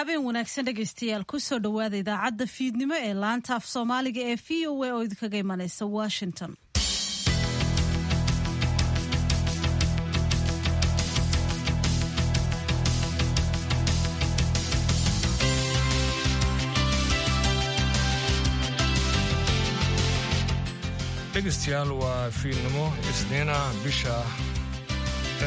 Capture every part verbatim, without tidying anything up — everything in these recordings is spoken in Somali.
Habeen wanaagsan dhegaystayaal, kusoo dhowaada idaacadda fiidnimo ee laanta af Soomaaliga ee V O A oo idinkaga imanaysa Washington. Dhegeystayaal, waa fiidnimo Isniina, bisha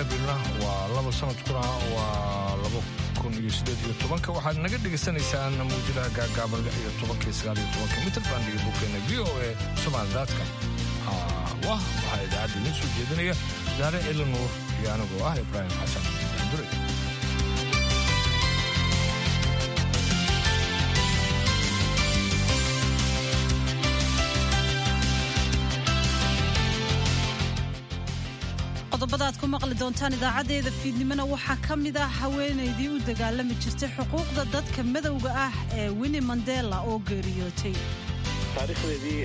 Abrilna waa laba, sanadkuna waa laba kun iyo sideed iyo tobanka. Waxaad naga dhegaysanaysaan mawjadaha gaagaaban, lix iyo tobanka iyo sagaal iyo tobanka mitrban iyo boggeena V O A Somaali dot com. Wah, waxaa idaacadda idiin soo jeedinaya Daare Cili Nuur iyo anigoo ah Ibraahim Xasan Dure. Qodobada aad ku maqli doontaan idaacaddeeda fiidnimona waxaa ka mid ah haweenaydii u dagaalami jirtay xuquuqda dadka madowga ah ee Winnie Mandela oo geeriyootay. Taariikhdeedii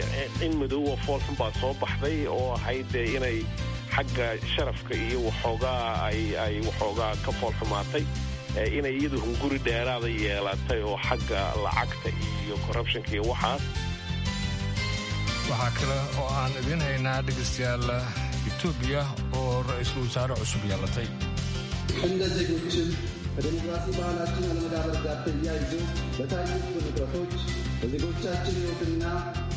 in madow oo foolxun baa soo baxday oo ahayd dee inay xagga sharafka iyo waxoogaa ay ay waxoogaa ka foolxumaatay, inay iyadu hunguri dheeraada yeelatay oo xagga lacagta iyo corruptionka iyo waxaas. Waxaa kale oo aan idiin haynaa, dhegaystayaal, Etoobiya oo ra-iisul wasaare cusub yeelatay. እንደ ዜጎችም ከዴሞክራሲ ባህላችን አለመዳበር ጋር ተያይዞ በታዩት ውጥረቶች በዜጎቻችን ሕይወትና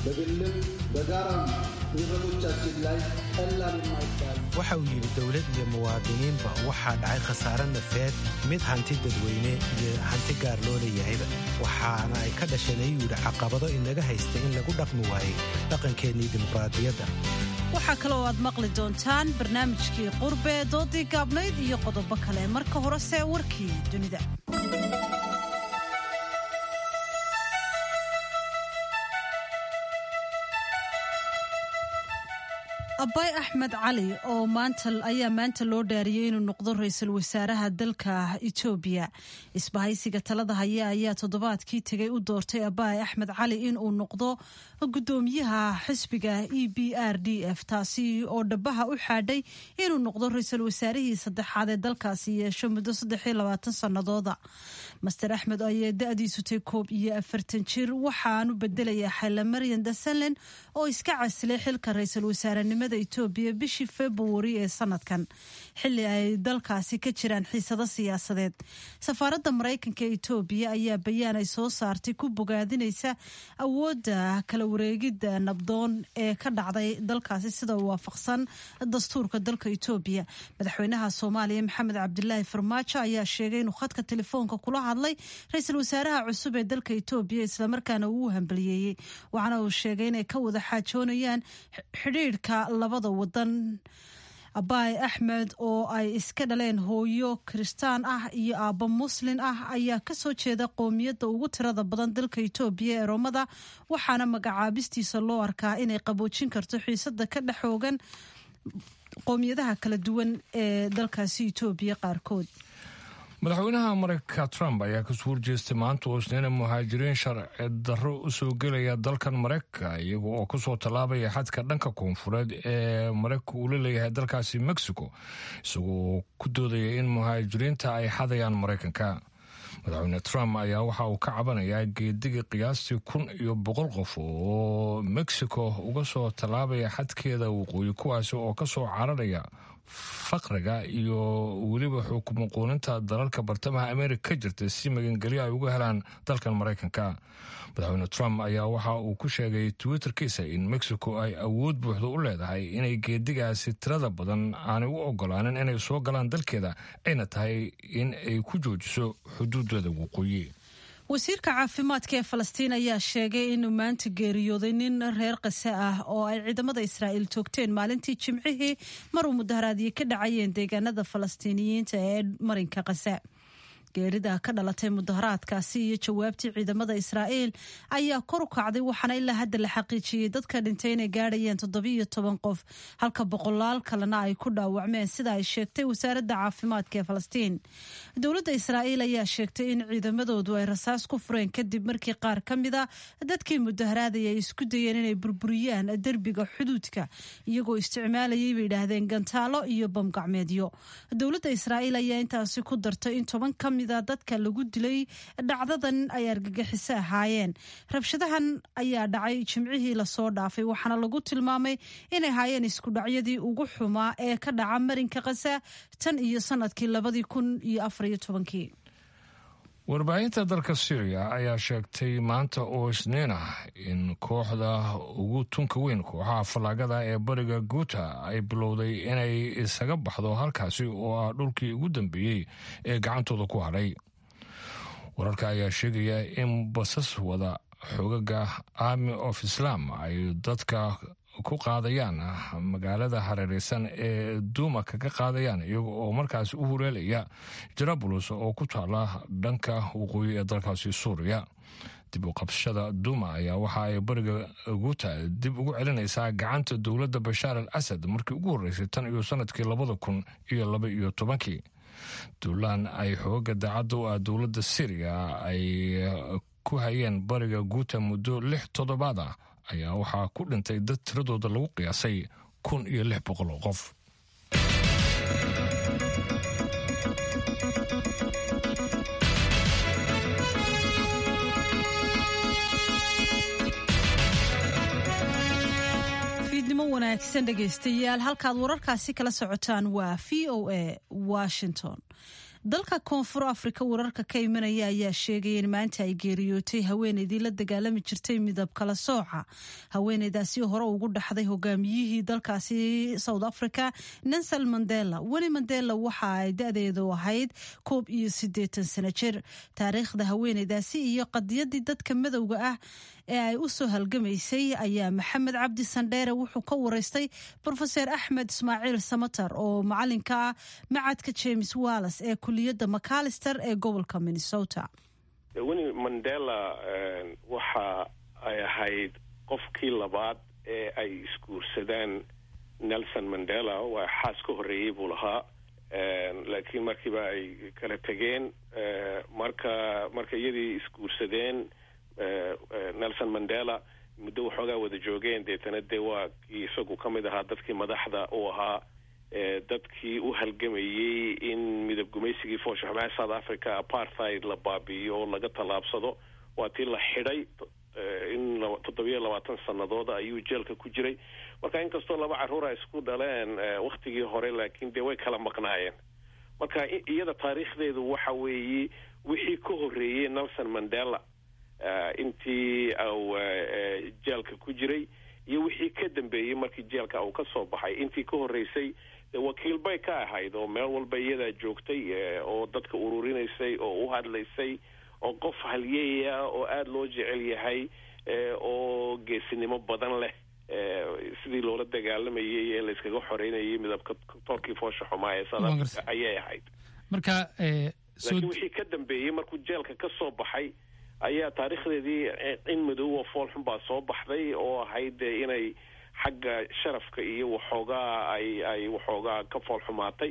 በግልም በጋራም ንብረቶቻችን ላይ ቀላል የማይባል Waxa uu yidhi, dowlad iyo muwaadiniinba waxaa dhacay khasaare nafeed, mid hanti dadweyne iyo hanti gaar loo leeyahayba, waxaana ay ka dhasheen, ayuu yidhi, caqabado inaga haysta in lagu dhaqmi waayey dhaqankeennii dimuqraadiyadda. Waxaa kale oo aad maqli doontaan barnaamijkii Qurbe, doodii gaabnayd iyo qodobo kale. Marka horese warkii dunida. Abay Axmed Cali oo maanta ayaa maanta loo dhaariyey inuu noqdo ra-iisul wasaaraha dalka Etoobiya. Isbahaysiga talada haya ayaa toddobaadkii tegay u doortay Abay Axmed Cali inuu noqdo gudoomiyaha xisbiga E B R D F, taasi oo dhabaha u xaadhay inuu noqdo ra-iisul wasaarihii saddexaad ee dalkaasi yeesho muddo saddex iyo labaatan sanadooda. Mister Axmed ayaa da-diisu tay koob iyo afartan jir, waxaanu bedelayaa Xaylamaryan Dasalen oo iska casilay xilka ra-iisul wasaarenimada Etoobiya bishii Februari ee sanadkan, xilli ay dalkaasi ka jiraan xiisado siyaasadeed. Safaaradda Maraykanka ee Etoobiya ayaa bayaan ay soo saartay ku bogaadinaysa awoodda kala wareegidda nabdoon ee ka dhacday dalkaasi sida waafaqsan dastuurka dalka Etoobiya. Madaxweynaha Soomaaliya Maxamed Cabdilaahi Farmaajo ayaa sheegay inuu khadka telefoonka kula hadlay ra-iisul wasaaraha cusub ee dalka Etoobiya, islamarkaana uu hambaliyeeyey, waxaana uu sheegay inay ka wada xaajoonayaan xidhiidhka labada wadan. Abaay Axmed oo ay iska dhaleen hooyo Kiristaan ah iyo aabbo Muslin ah ayaa kasoo jeeda qoomiyadda ugu tirada badan dalka Etoobiya ee Roomada, waxaana magacaabistiisa loo arkaa inay qaboojin karto xiisada ka dhex xoogan qoomiyadaha kala duwan ee dalkaasi Etoobiya qaarkood. Madaxweynaha Mareykanka Trump ayaa kasoo horjeestay maanta oo Isniina muhaajiriin sharci darro u soo gelaya dalkan Mareykanka, iyaga oo kasoo tallaabaya xadka dhanka koonfureed ee Mareykanka uu la leeyahay dalkaasi Mexico, isagoo ku doodaya in muhaajiriinta ay xadayaan Mareykanka. Madaxweyne Trump ayaa waxa uu ka cabanayaa geediga qiyaastii kun iyo boqol qof oo Mexico uga soo tallaabaya xadkeeda waqooyi, kuwaasi oo kasoo cararaya faqriga iyo weliba xukumo quuninta dalalka bartamaha America ka jirta, si magangelyo ay uga helaan dalkan Maraykanka. Madaxweyne Trump ayaa waxa uu ku sheegay Twitterkiisa in Mexico ay awood buuxda u leedahay inay geedigaasi tirada badan aanay u ogolaanin inay soo galaan dalkeeda, ayna tahay in ay ku joojiso xuduudada waqooyi. Wasiirka caafimaadka ee Falastiin ayaa sheegay inuu maanta geeriyooday nin reer Qase ah oo ay ciidamada Israa'iil toogteen maalintii Jimcihii maruu mudaharaadyo ka dhacayeen deegaanada Falastiiniyiinta ee marinka Qase. Geerida ka dhalatay mudaharaadkaasi iyo jawaabtii ciidamada Israa'iil ayaa kor u kacday, waxaana ilaa hadda la xaqiijiyey dadka dhintay inay gaadhayeen toddobiyo toban qof, halka boqolaal kalena ay ku dhaawacmeen, sida ay sheegtay wasaaradda caafimaadka ee Falastiin. Dowladda Israa'iil ayaa sheegtay in ciidamadoodu ay rasaas ku fureen kadib markii qaar ka mid a dadkii mudaharaadaya ay isku dayeen inay burburiyaan derbiga xuduudka, iyagoo isticmaalayay, bay yidhaahdeen, gantaalo iyo bamgacmeedyo. Dowladda Israa'iil ayaa intaasi ku dartay in toban ka mid mida dadka lagu dilay dhacdadan ay argagixiso ahaayeen. Rabshadahan ayaa dhacay jimcihii lasoo dhaafay, waxaana lagu tilmaamay inay ahaayeen iskudhacyadii ugu xumaa ee ka dhaca marinka Qasa tan iyo sanadkii labadii kun iyo afariyo tobankii. Warbaahinta dalka Syriya ayaa sheegtay maanta oo Isniin ah in kooxda ugu tunka weyn kooxaha fallaagada ee bariga Guuta ay bilowday inay isaga baxdo halkaasi oo ah dhulkii ugu dambeeyey ee gacantooda ku hadhay. Wararka ayaa sheegaya in basas wada xogaga Army of Islam ay dadka ku qaadayaan magaalada hareereysan ee Duuma kaga qaadayaan, iyaga oo markaasi u hureelaya Jarabulus oo ku taala dhanka waqooyi ee dalkaasi Suuriya. Dib u qabsashada Duuma ayaa waxa ay bariga Guuta dib ugu celinaysaa gacanta dowladda Bashaar al Asad markii ugu horreysay tan iyo sanadkii labada kun iyo laba iyo tobankii. Duulaan ay xooga daacadda u ah dowladda Syriya ay ku hayeen bariga Guuta muddo lix toddobaad ah ayaa waxaa ku dhintay dad tiradooda lagu qiyaasay kun iyo lix boqol oo qof. Fiidnimo wanaagsan dhegaystayaal, halkaad wararkaasi kala socotaan waa V O A Washington. Dalka Koonfur Afrika wararka ka imanaya ayaa sheegaya in maanta ay geeriyootay haweeneydii la dagaalami jirtay midab kala sooca. Haweeneydaasi hore ugu dhaxday hogaamiyihii dalkaasi South Africa, Nelson Mandela. Weli Mandela waxa ay da-deedu ahayd koob iyo siddeetan sano jir. Taariikhda haweeneydaasi iyo qadiyadii dadka madowga ah ee ay u soo halgamaysay ayaa Maxamed Cabdi Sandheere wuxuu ka wareystay Brofeser Axmed Ismaaciil Samatar oo macalinka ah macadka James Wallace ee kuliyadda Macalister ee gobolka Minnesota. Winnie Mandela waxa ay ahayd qofkii labaad ee ay isguursadaan Nelson Mandela. Waa xaas ka horreeyey buu lahaa, laakiin markiiba ay kala tegeen. Marka marka iyadii isguursadeen Nelson Mandela muddo waxoogaa wada joogeen, deetana dee waa kii isagu ka mid ahaa dadkii madaxda u ahaa dadkii u halgamayey in midab gumaysigii foosha xumaa South Africa apartheid la baabi'iyo oo laga tallaabsado. Waa tii la xidhay in toddobiyo labaatan sannadood ayuu jeelka ku jiray. Marka inkastoo laba carruur ay isku dhaleen waktigii hore, laakiin dee way kala maqnaayeen. Marka iyada taariikhdeedu waxa weeye wixii ka horreeyey Nelson Mandela intii au jeelka ku jiray iyo wixii ka dambeeyey markii jeelka uu ka soo baxay. Intii ka horreysay wakiil bay ka ahayd oo meel walba iyadaa joogtay oo dadka ururinaysay oo u hadlaysay, oo qof halyeeya oo aada loo jecel yahay oo geesinimo badan leh, sidii loola dagaalamayay ee layskaga xoreynayay midabka toorkii foosha xumaa ee South Africa ayay ahayd. Marka laakiin wixii ka dambeeyey markuu jeelka ka soo baxay ayaa taariikhdeedii in madow oo fool xun baa soo baxday oo ahayd inay xagga sharafka iyo waxoogaa ay ay waxoogaa ka fool xumaatay,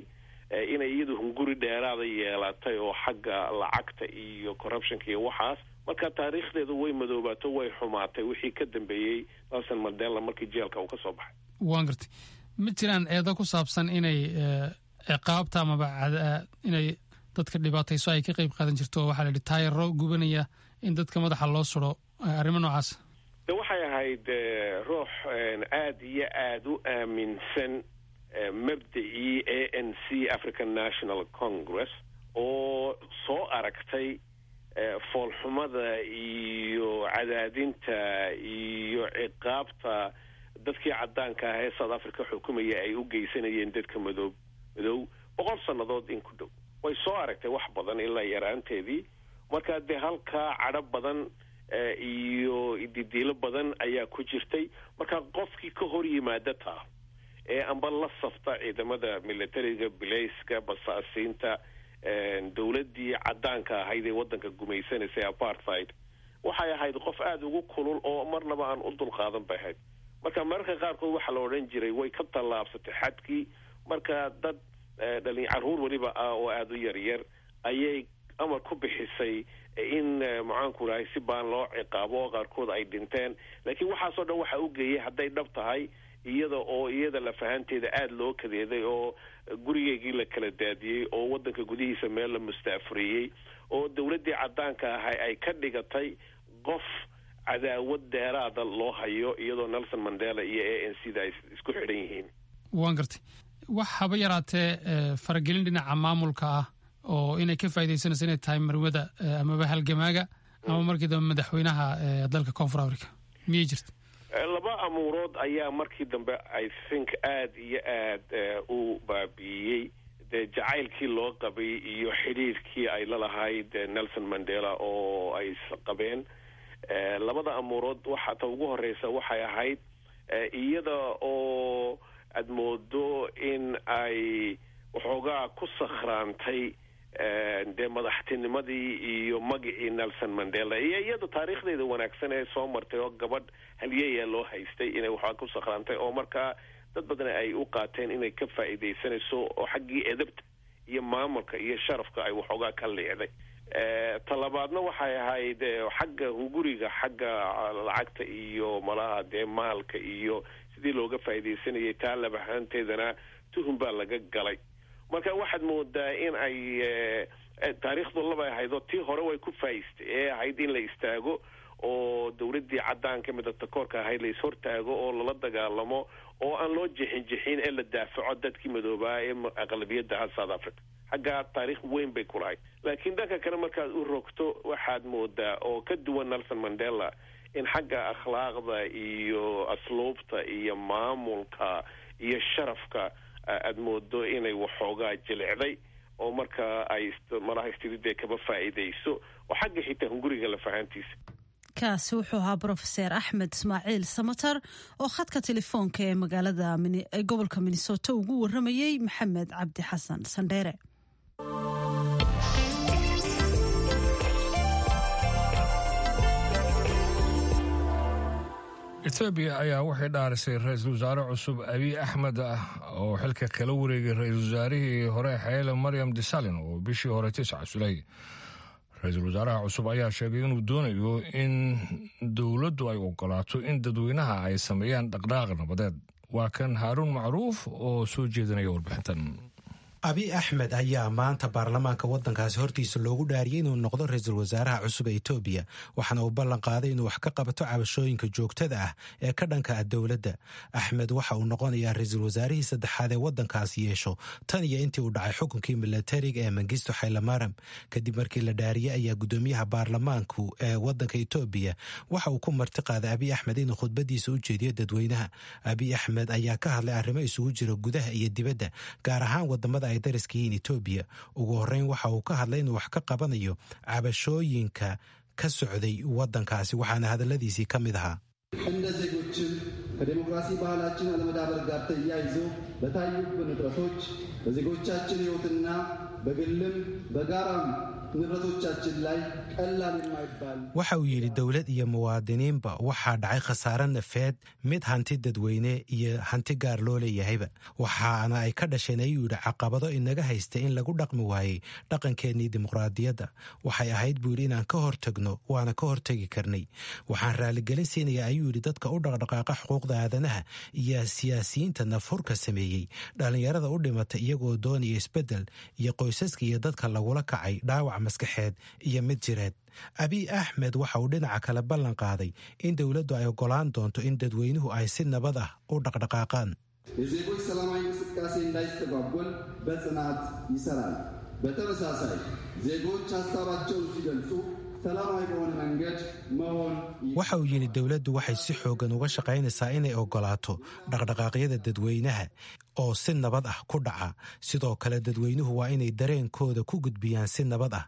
inay iyadu hunguri dheeraada yeelatay oo xagga lacagta iyo corruptionka iyo waxaas. Marka taariikhdeedu way madoobaato, way xumaatay wixii ka dambeeyey Nelson Mandela markii jeelka uu ka soo baxay. Waan gartay. Ma jiraan eedo ku saabsan inay ciqaabta amaba inay dadka dhibaatayso ay ka qayb qaadan jirto? Waxaa la yidhi taayaro gubanaya in dadka madaxa loo suro, arrimo noocaas. De waxay ahayd ruux aada iyo aada u aaminsan mabda'ii A N C, African National Congress, oo soo aragtay foolxumada iyo cadaadinta iyo ciqaabta dadkii caddaanka ah ee South Africa xukumaya ay u geysanayeen dadka madoob madow boqol sannadood in ku dhow. Way soo aragtay wax badan ilaa yaraanteedii. Marka dee halkaa cadho badan iyo ididiilo badan ayaa ku jirtay. Marka qofkii ka hor yimaada taa ee amba la safta ciidamada militariga, bilayska, basaasiinta, dowladdii caddaanka ahayd ee waddanka gumaysanaysay apartheid, waxay ahayd qof aada ugu kulul oo marnaba aan u dulqaadan bay ahayd. Marka mararka qaarkood waxaa la odhan jiray way ka tallaabsatay xadkii. Marka dad dhalin carruur weliba ah oo aada u yaryar ayay amar ku bixisay in maxaanku rahay si baan loo ciqaabo oo qaarkood ay dhinteen. Laakiin waxaasoo dhan waxa u geeyay hadday dhab tahay Iyada oo iyada lafahanteeda aada loo kadeeday oo gurigeygii la kala daadiyey oo waddanka gudihiisa meel la mustaafuriyey oo dowladdii caddaanka ahay ay ka dhigatay qof cadaawad dheeraada loo hayo, iyadoo Nelson Mandela iyo A N C da ay isku xidhan yihiin. Waan gartay. Wax haba yaraatee faragelin dhinaca maamulka ah oo inay ka faaidaysanayso inay tahay marwada amaba halgamaaga ama markii dambe madaxweynaha dalka Koonfur Africa miyay jirta? Laba amuurood ayaa markii dambe, I think, aada iyo aad u baabi'iyey dee jacaylkii loo qabay iyo xidhiirkii ay la lahayd Nelson Mandela oo ay qabeen. Labada amuurood waxa ta ugu horeysa waxay ahayd iyada oo aad moodo in ay waxoogaa ku sakhraantay dee madaxtinimadii iyo magicii Nelson Mandela iyo iyada taariikhdeeda wanaagsan ee soo martay oo gabadh halyeeya loo haystay, inay waxoogaa ku sakhraantay oo markaa dad badan ay u qaateen inay ka faa'iidaysanayso oo xaggii edabta iyo maamulka iyo sharafka ay waxoogaa ka liicday. Talabaadna waxay ahayd xagga hunguriga, xagga lacagta iyo malaha dee maalka iyo sidii looga faa'iidaysanayay. Taa labahaanteedana tuhun baa laga galay. Marka waxaad moodaa in ay taariikhdu labay ahayd oo tii hore way ku faa'iistay ee ahayd in la istaago oo dowladdii caddaanka midabta koorka ahayd la ishortaago oo lala dagaalamo oo aan loo jixin jixin ee la daafaco dadkii madoobaa ee aqlabiyadda ahaa South Africa. Xaggaa taariikh weyn bay ku lahayd. Laakiin dhanka kale markaad u rogto, waxaad moodaa oo ka duwan Nelson Mandela in xagga akhlaaqda iyo asluubta iyo maamulka iyo sharafka aad moodo inay waxoogaa jilicday oo markaa ay malaha istididee kaba faa'iidayso oo xagga xitaa hunguriga lafahaantiisa. Kaasi wuxuu ahaa Brofeser Axmed Ismaaciil Samatar oo khadka telefoonka ee magaalada gobolka Minnesota ugu waramayey Maxamed Cabdi Xasan Sandheere. Etoobiya ayaa waxay dhaarisay ra-iisul wasaare cusub Abiy Axmed ah oo xilka kala wareegay ra-iisul wasaarihii hore Xeyle Maryam Desalegn oo bishii hore tisca sulay. Ra-iisul wasaaraha cusub ayaa sheegay inuu doonayo in dowladdu ay ogolaato in dadweynaha ay sameeyaan dhaqdhaqaaq nabadeed. Waa kan Haaruun Macruuf oo soo jeedinaya warbixintan. Abiy Axmed ayaa maanta baarlamaanka waddankaasi hortiisa loogu dhaariyey inuu noqdo ra-iisul wasaaraha cusub ee Etoobiya, waxaana uu ballan qaaday inuu wax ka qabato cabashooyinka joogtada ah ee ka dhanka ah dowladda. Axmed waxa uu noqonayaa ra-iisul wasaarihii saddexaad ee waddankaasi yeesho tan iyo intii uu dhacay xukunkii milatariga ee Mengistu Xaylamaram. Kadib markii la dhaariyey ayaa guddoomiyaha baarlamaanku ee waddanka Etoobiya waxa uu ku marti qaaday Abiy Axmed inuu khudbadiisa u jeediyo dadweynaha. Abiy Axmed ayaa ka hadlay arrimo isugu jira gudaha iyo dibadda, gaar ahaan wadamada ay dariska yihiin Etoobiya. Ugu horreyn waxa uu ka hadlay inuu wax ka qabanayo cabashooyinka ka socday waddankaasi, waxaana hadalladiisii ka mid ahaa: እንደ ዜጎችም ከዴሞክራሲ ባህላችን አለመዳበር ጋር ተያይዞ በታዩብን እጥረቶች በዜጎቻችን ሕይወትና በግልም በጋራም ንብረቶቻችን ላይ ቀላል የማይባል Waxa uu yidhi, dowlad iyo muwaadiniinba waxaa dhacay khasaare nafeed, mid hanti dadweyne iyo hanti gaar loo leeyahayba, waxaana ay ka dhasheen, ayuu yidhi, caqabado inaga haysta in lagu dhaqmi waayey dhaqankeennii dimuqraadiyadda. Waxay ahayd, buu yidhi, inaan ka hortagno, waana ka hortagi karnay. Waxaan raaligelin siinayaa, ayuu yidhi, dadka u dhaqdhaqaaqa xuquuqda aadanaha iyo siyaasiyiinta nafhurka sameeyey, dhallinyarada u dhimata iyagoo doonaya isbeddel, iyo qoysaska iyo dadka lagula kacay dhaawac maskaxeed iyo mid jireed. Abiy Axmed waxa uu dhinaca kale ballan qaaday in dowladdu ay oggolaan doonto in dadweynuhu ay si nabad ah u dhaqdhaqaaqaan. የዜጎች ሰላማዊ እንቅስቃሴ እንዳይስተጓጎል በጽናት ይሰራል። በተመሳሳይ ዜጎች ሀሳባቸውን ሲገልጹ ሰላማዊ በሆነ መንገድ መሆን Waxa uu yidhi, dowladdu waxay si xooggan uga shaqaynaysaa inay oggolaato dhaqdhaqaaqyada dadweynaha oo si nabad ah ku dhaca. Sidoo kale dadweynuhu waa inay dareenkooda ku gudbiyaan si nabad ah.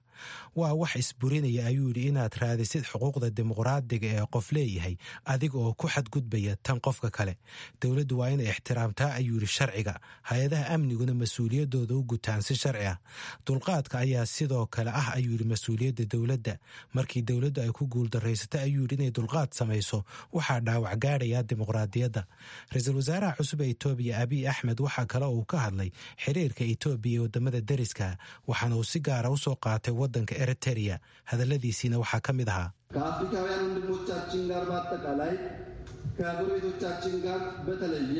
Waa wax isburinaya, ayuu yidhi, inaad raadisid xuquuqda dimuqraadiga ee qof leeyahay adiga oo ku xadgudbaya tan qofka kale. Dowladdu waa inay ixtiraamtaa, ayuu yidhi, sharciga, hay-adaha amniguna mas-uuliyaddooda u gutaan si sharci ah. Dulqaadka ayaa sidoo kale ah, ayuu yidhi, mas-uuliyadda dowladda. Markii dowladdu ay ku guuldaraysato, ayuu yidhi, inay dulqaad samayso, waxaa dhaawac gaadhaya dimuqraadiyadda. Ra-iisul wasaaraha cusub ee Etoobiya Abiy Axmed waxaa kale uu ka hadlay xiriirka Etoobiya ee wadamada deriska, waxaana uu si gaara usoo qaatay waddanka Eritereya. Hadalladiisiina waxaa ka mid ahaa: ከአፍሪካውያን ወንድሞቻችን ጋር በአጠቃላይ ከጎረቤቶቻችን ጋር በተለየ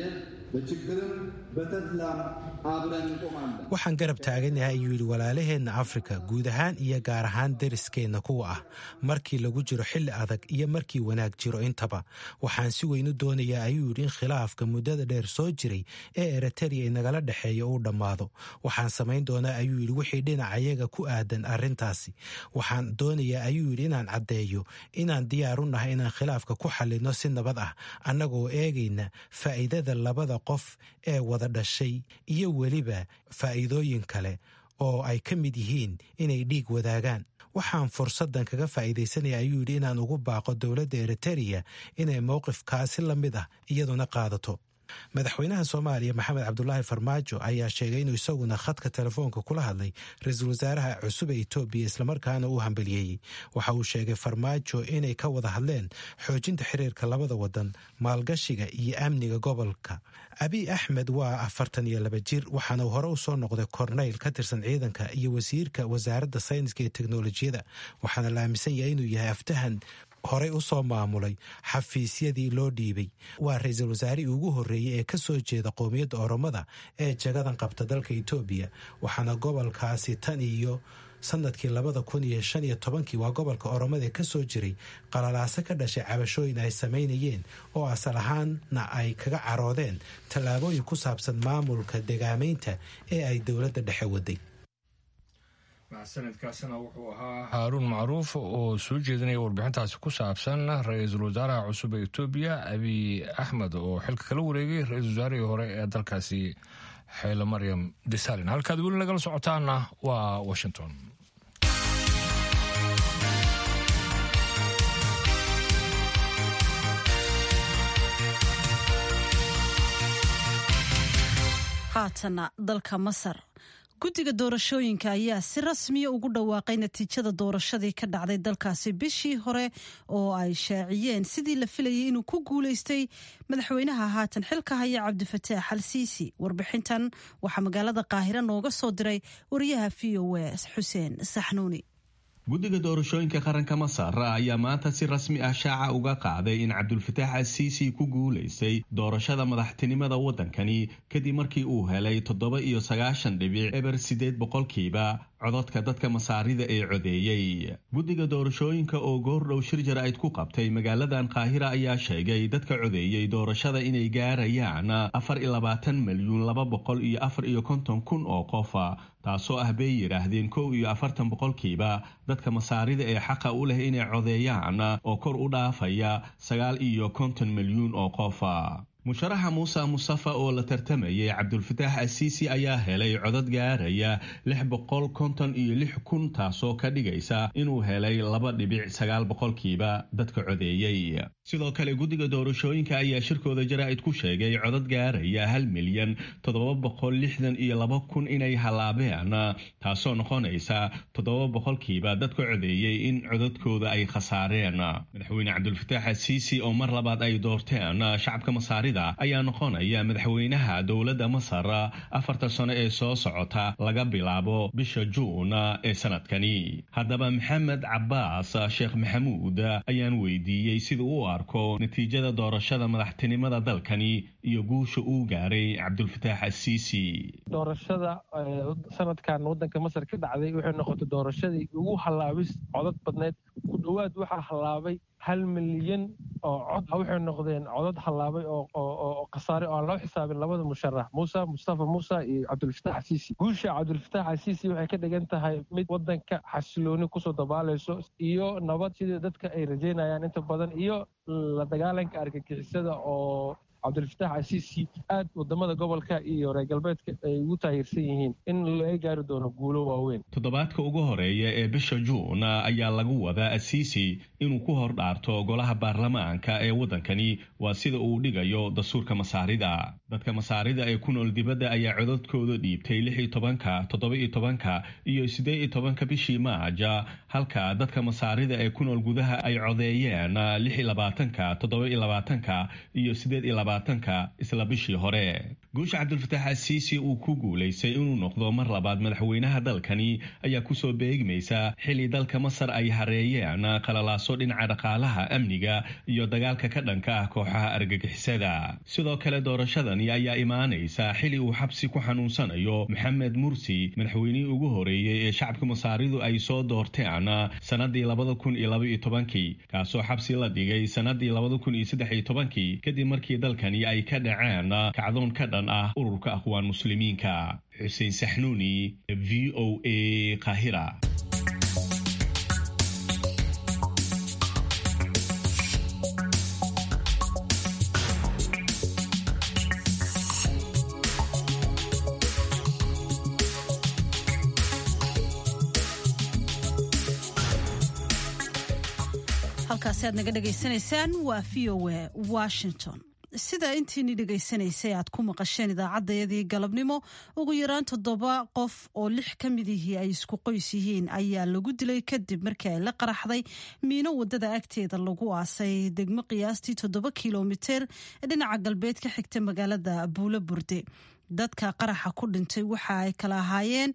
በችግርም በተድላም አብረን እንቆማለን። Waxaan garab taaganahay, ayuu yidhi, walaalaheenna Afrika guud ahaan iyo gaar ahaan deriskeenna kuwa ah, markii lagu jiro xilli adag iyo markii wanaag jiro intaba. Waxaan si weyn u doonayaa, ayuu yidhi, in khilaafka muddada dheer soo jiray ee Eritrea inagala dhexeeya uu dhammaado. Waxaan samayn doonaa, ayuu yidhi, wixii dhinacayaga ku aadan arrintaasi. Waxaan doonayaa, ayuu yidhi, inaan caddeeyo inaan diyaar u nahay inaan khilaafka ku xallinno si nabad ah, annagoo eegayna faa'iidada labada qof ee wada dhashay iyo weliba faa'iidooyin kale oo ay ka mid yihiin inay dhiig wadaagaan. Waxaan fursaddan kaga faa'iidaysanaya, ayuu yidhi, inaan ugu baaqo dowladda Eritereya inay mowqifkaasi la mid ah iyaduna qaadato. Madaxweynaha Soomaaliya Maxamed Cabdulaahi Farmaajo ayaa sheegay inuu isaguna khadka telefoonka kula hadlay ra-iisul wasaaraha cusub ee Itoobiya, islamarkaana uu hambaliyeeyey. Waxa uu sheegay Farmaajo inay ka wada hadleen xoojinta xiriirka labada wadan, maalgashiga iyo amniga gobolka. Abiy Axmed waa afartan iyo laba jir, waxaana uu hore usoo noqday korneyl ka tirsan ciidanka iyo wasiirka wasaaradda sayniska iyo teknolojiyada, waxaana la aaminsan yahay inuu yahay aftahan horey u soo maamulay xafiisyadii loo dhiibay. Waa ra-iisul wasaarihii ugu horreeyey ee ka soo jeeda qowmiyadda Oromada ee jagadan qabta dalka Itoobiya, waxaana gobolkaasi tan iyo sanadkii labada kun iyo shan iyo tobankii, waa gobolka Oromada, ee kasoo jiray qalalaase ka dhashay cabashooyin ay samaynayeen oo asal ahaanna ay kaga caroodeen tallaabooyin ku saabsan maamulka degaamaynta ee ay dowladda dhexe waday. Sanadkaasina wuxuu ahaa Haaruun Macruuf oo soo jeedinaya warbixintaasi ku saabsan ra-iisul wasaaraha cusub ee Etoobiya Abiy Axmed oo xilka kala wareegay ra-iisul wasaarihii hore ee dalkaasi Xeyle Maryam Desalin. Halkaad weli nagala socotaana waa Washington. Haatana dalka Masar, guddiga doorashooyinka ayaa si rasmiya ugu dhawaaqay natiijada doorashadii ka dhacday dalkaasi bishii hore oo ay shaaciyeen sidii la filayay inuu ku guulaystay madaxweynaha haatan xilka haya, Cabdifataax Al Siisi. Warbixintan waxaa magaalada Qaahiro nooga soo diray wariyaha V O A Xuseen Saxnuuni. Guddiga doorashooyinka qaranka Masar ayaa maanta si rasmi ah shaaca uga qaaday in Cabdulfataax Asiisi ku guulaystay doorashada madaxtinimada waddankani, kadib markii uu helay toddoba iyo sagaashan dhibic eber sideed boqolkiiba codadka dadka Masaarida ee codeeyey. Guddiga doorashooyinka oo goordhow shir jaraa'id ku qabtay magaaladan Qaahira ayaa sheegay dadka codeeyey doorashada inay gaarayaan afar iyo labaatan milyuun laba boqol iyo afar iyo konton kun oo qofa, taasoo ah, bay yidhaahdeen, kow iyo afartan boqolkiiba dadka Masaarida ee xaqa u leh inay codeeyaan, oo kor u dhaafaya sagaal iyo konton milyuun oo qofa. Musharaxa Muuse Mustafa oo la tartamayay Cabdulfataax Asiisi ayaa helay codad gaaraya lix boqol konton iyo lix kun, taasoo ka dhigaysa inuu helay laba dhibic sagaal boqolkiiba dadka codeeyey. Sidoo kale guddiga doorashooyinka ayaa shirkooda jaraa'id ku sheegay codad gaaraya hal milyan toddoba boqol lixdan iyo laba kun inay halaabeen, taasoo noqonaysa toddoba boqolkiiba dadka codeeyey in codadkooda ay khasaareen. Madaxweyne Cabdulfataax Asiisi oo mar labaad ay doorteen shacabka Masaarida ayaa noqonaya madaxweynaha dowladda Masar afarta sano ee soo socota laga bilaabo bisha Juun ee sanadkani. Haddaba Maxamed Cabaas Sheekh Maxamuud ayaan weydiiyey sida uu arko natiijada doorashada madaxtinimada dalkani iyo guusha uu gaaray Cabdulfataax Asiisi. Doorashada sanadkan wadanka Masar ka dhacday waxay noqotay doorashadii ugu hallaabis codad badneyd. Ku dhowaad waxaa hallaabay hal milyan oo cod. Waxay noqdeen codad hallaabay oo khasaare oo aan loo xisaabin labada musharax, Muuse Mustafa Muuse iyo Cabdulfataax Asiisi. Guusha Cabdulfataax Asiisi waxay ka dhigan tahay mid wadanka xasilooni kusoo dabaalayso iyo nabad, sidii dadka ay rajeynayaan inta badan, iyo la dagaalanka argagixisada oo Cabdulfataax Asiisi aad wadamada gobolka iyo reer galbeedka ay ugu taageersan yihiin in laga gaari doono guulo waaweyn. Toddobaadka ugu horeeya ee bisha Juun ayaa lagu wadaa Asiisi inuu ku hor dhaarto golaha baarlamaanka ee waddankani, waa sida uu dhigayo dastuurka Masaarida. Dadka Masaarida ee ku nool dibadda ayaa codadkooda dhiibtay lix iyo tobanka, toddoba iyo tobanka iyo siddeed iyo tobanka bishii Maaja, halka dadka Masaarida ee ku nool gudaha ay codeeyeen lix iyo labaatanka, toddoba iyo labaatanka iyo siddeed iyo labaatan labaatanka isla bishii hore. Guusha Cabdulfataax Asiisi uu ku guulaystay inuu noqdo mar labaad madaxweynaha dalkani ayaa kusoo beegmaysa xilli dalka Masar ay hareeyeen qalalaaso dhinaca dhaqaalaha, amniga iyo dagaalka ka dhanka ah kooxaha argagixisada. Sidoo kale doorashadani ayaa imaanaysa xilli uu xabsi ku xanuunsanayo Maxamed Mursi, madaxweynihii ugu horeeyey ee shacabka Masaaridu ay soo doorteen sanadii labada kun iyo laba iyo tobankii, kaasoo xabsi la dhigay sanadii labada kun iyo saddex iyo tobankii kadib markii dalkani ay ka dhaceen kacdoon ka dhan ah ururka Akhwaan Muslimiinka. Xuseen Saxnuuni, V O A, Qaahira. Halkaasi aad naga dhegaysanaysaan waa V O A Washington. Sida intiini dhegaysanaysay aad ku maqasheen idaacaddayadii galabnimo, ugu yaraan toddoba qof oo lix ka mid ihii ay isku qoys yihiin ayaa lagu dilay kadib markii ay la qaraxday miino wadada agteeda lagu aasay degmo qiyaastii toddoba kilomitir dhinaca galbeed ka xigta magaalada Buulo Burde. Dadka qaraxa ku dhintay waxa ay kala ahaayeen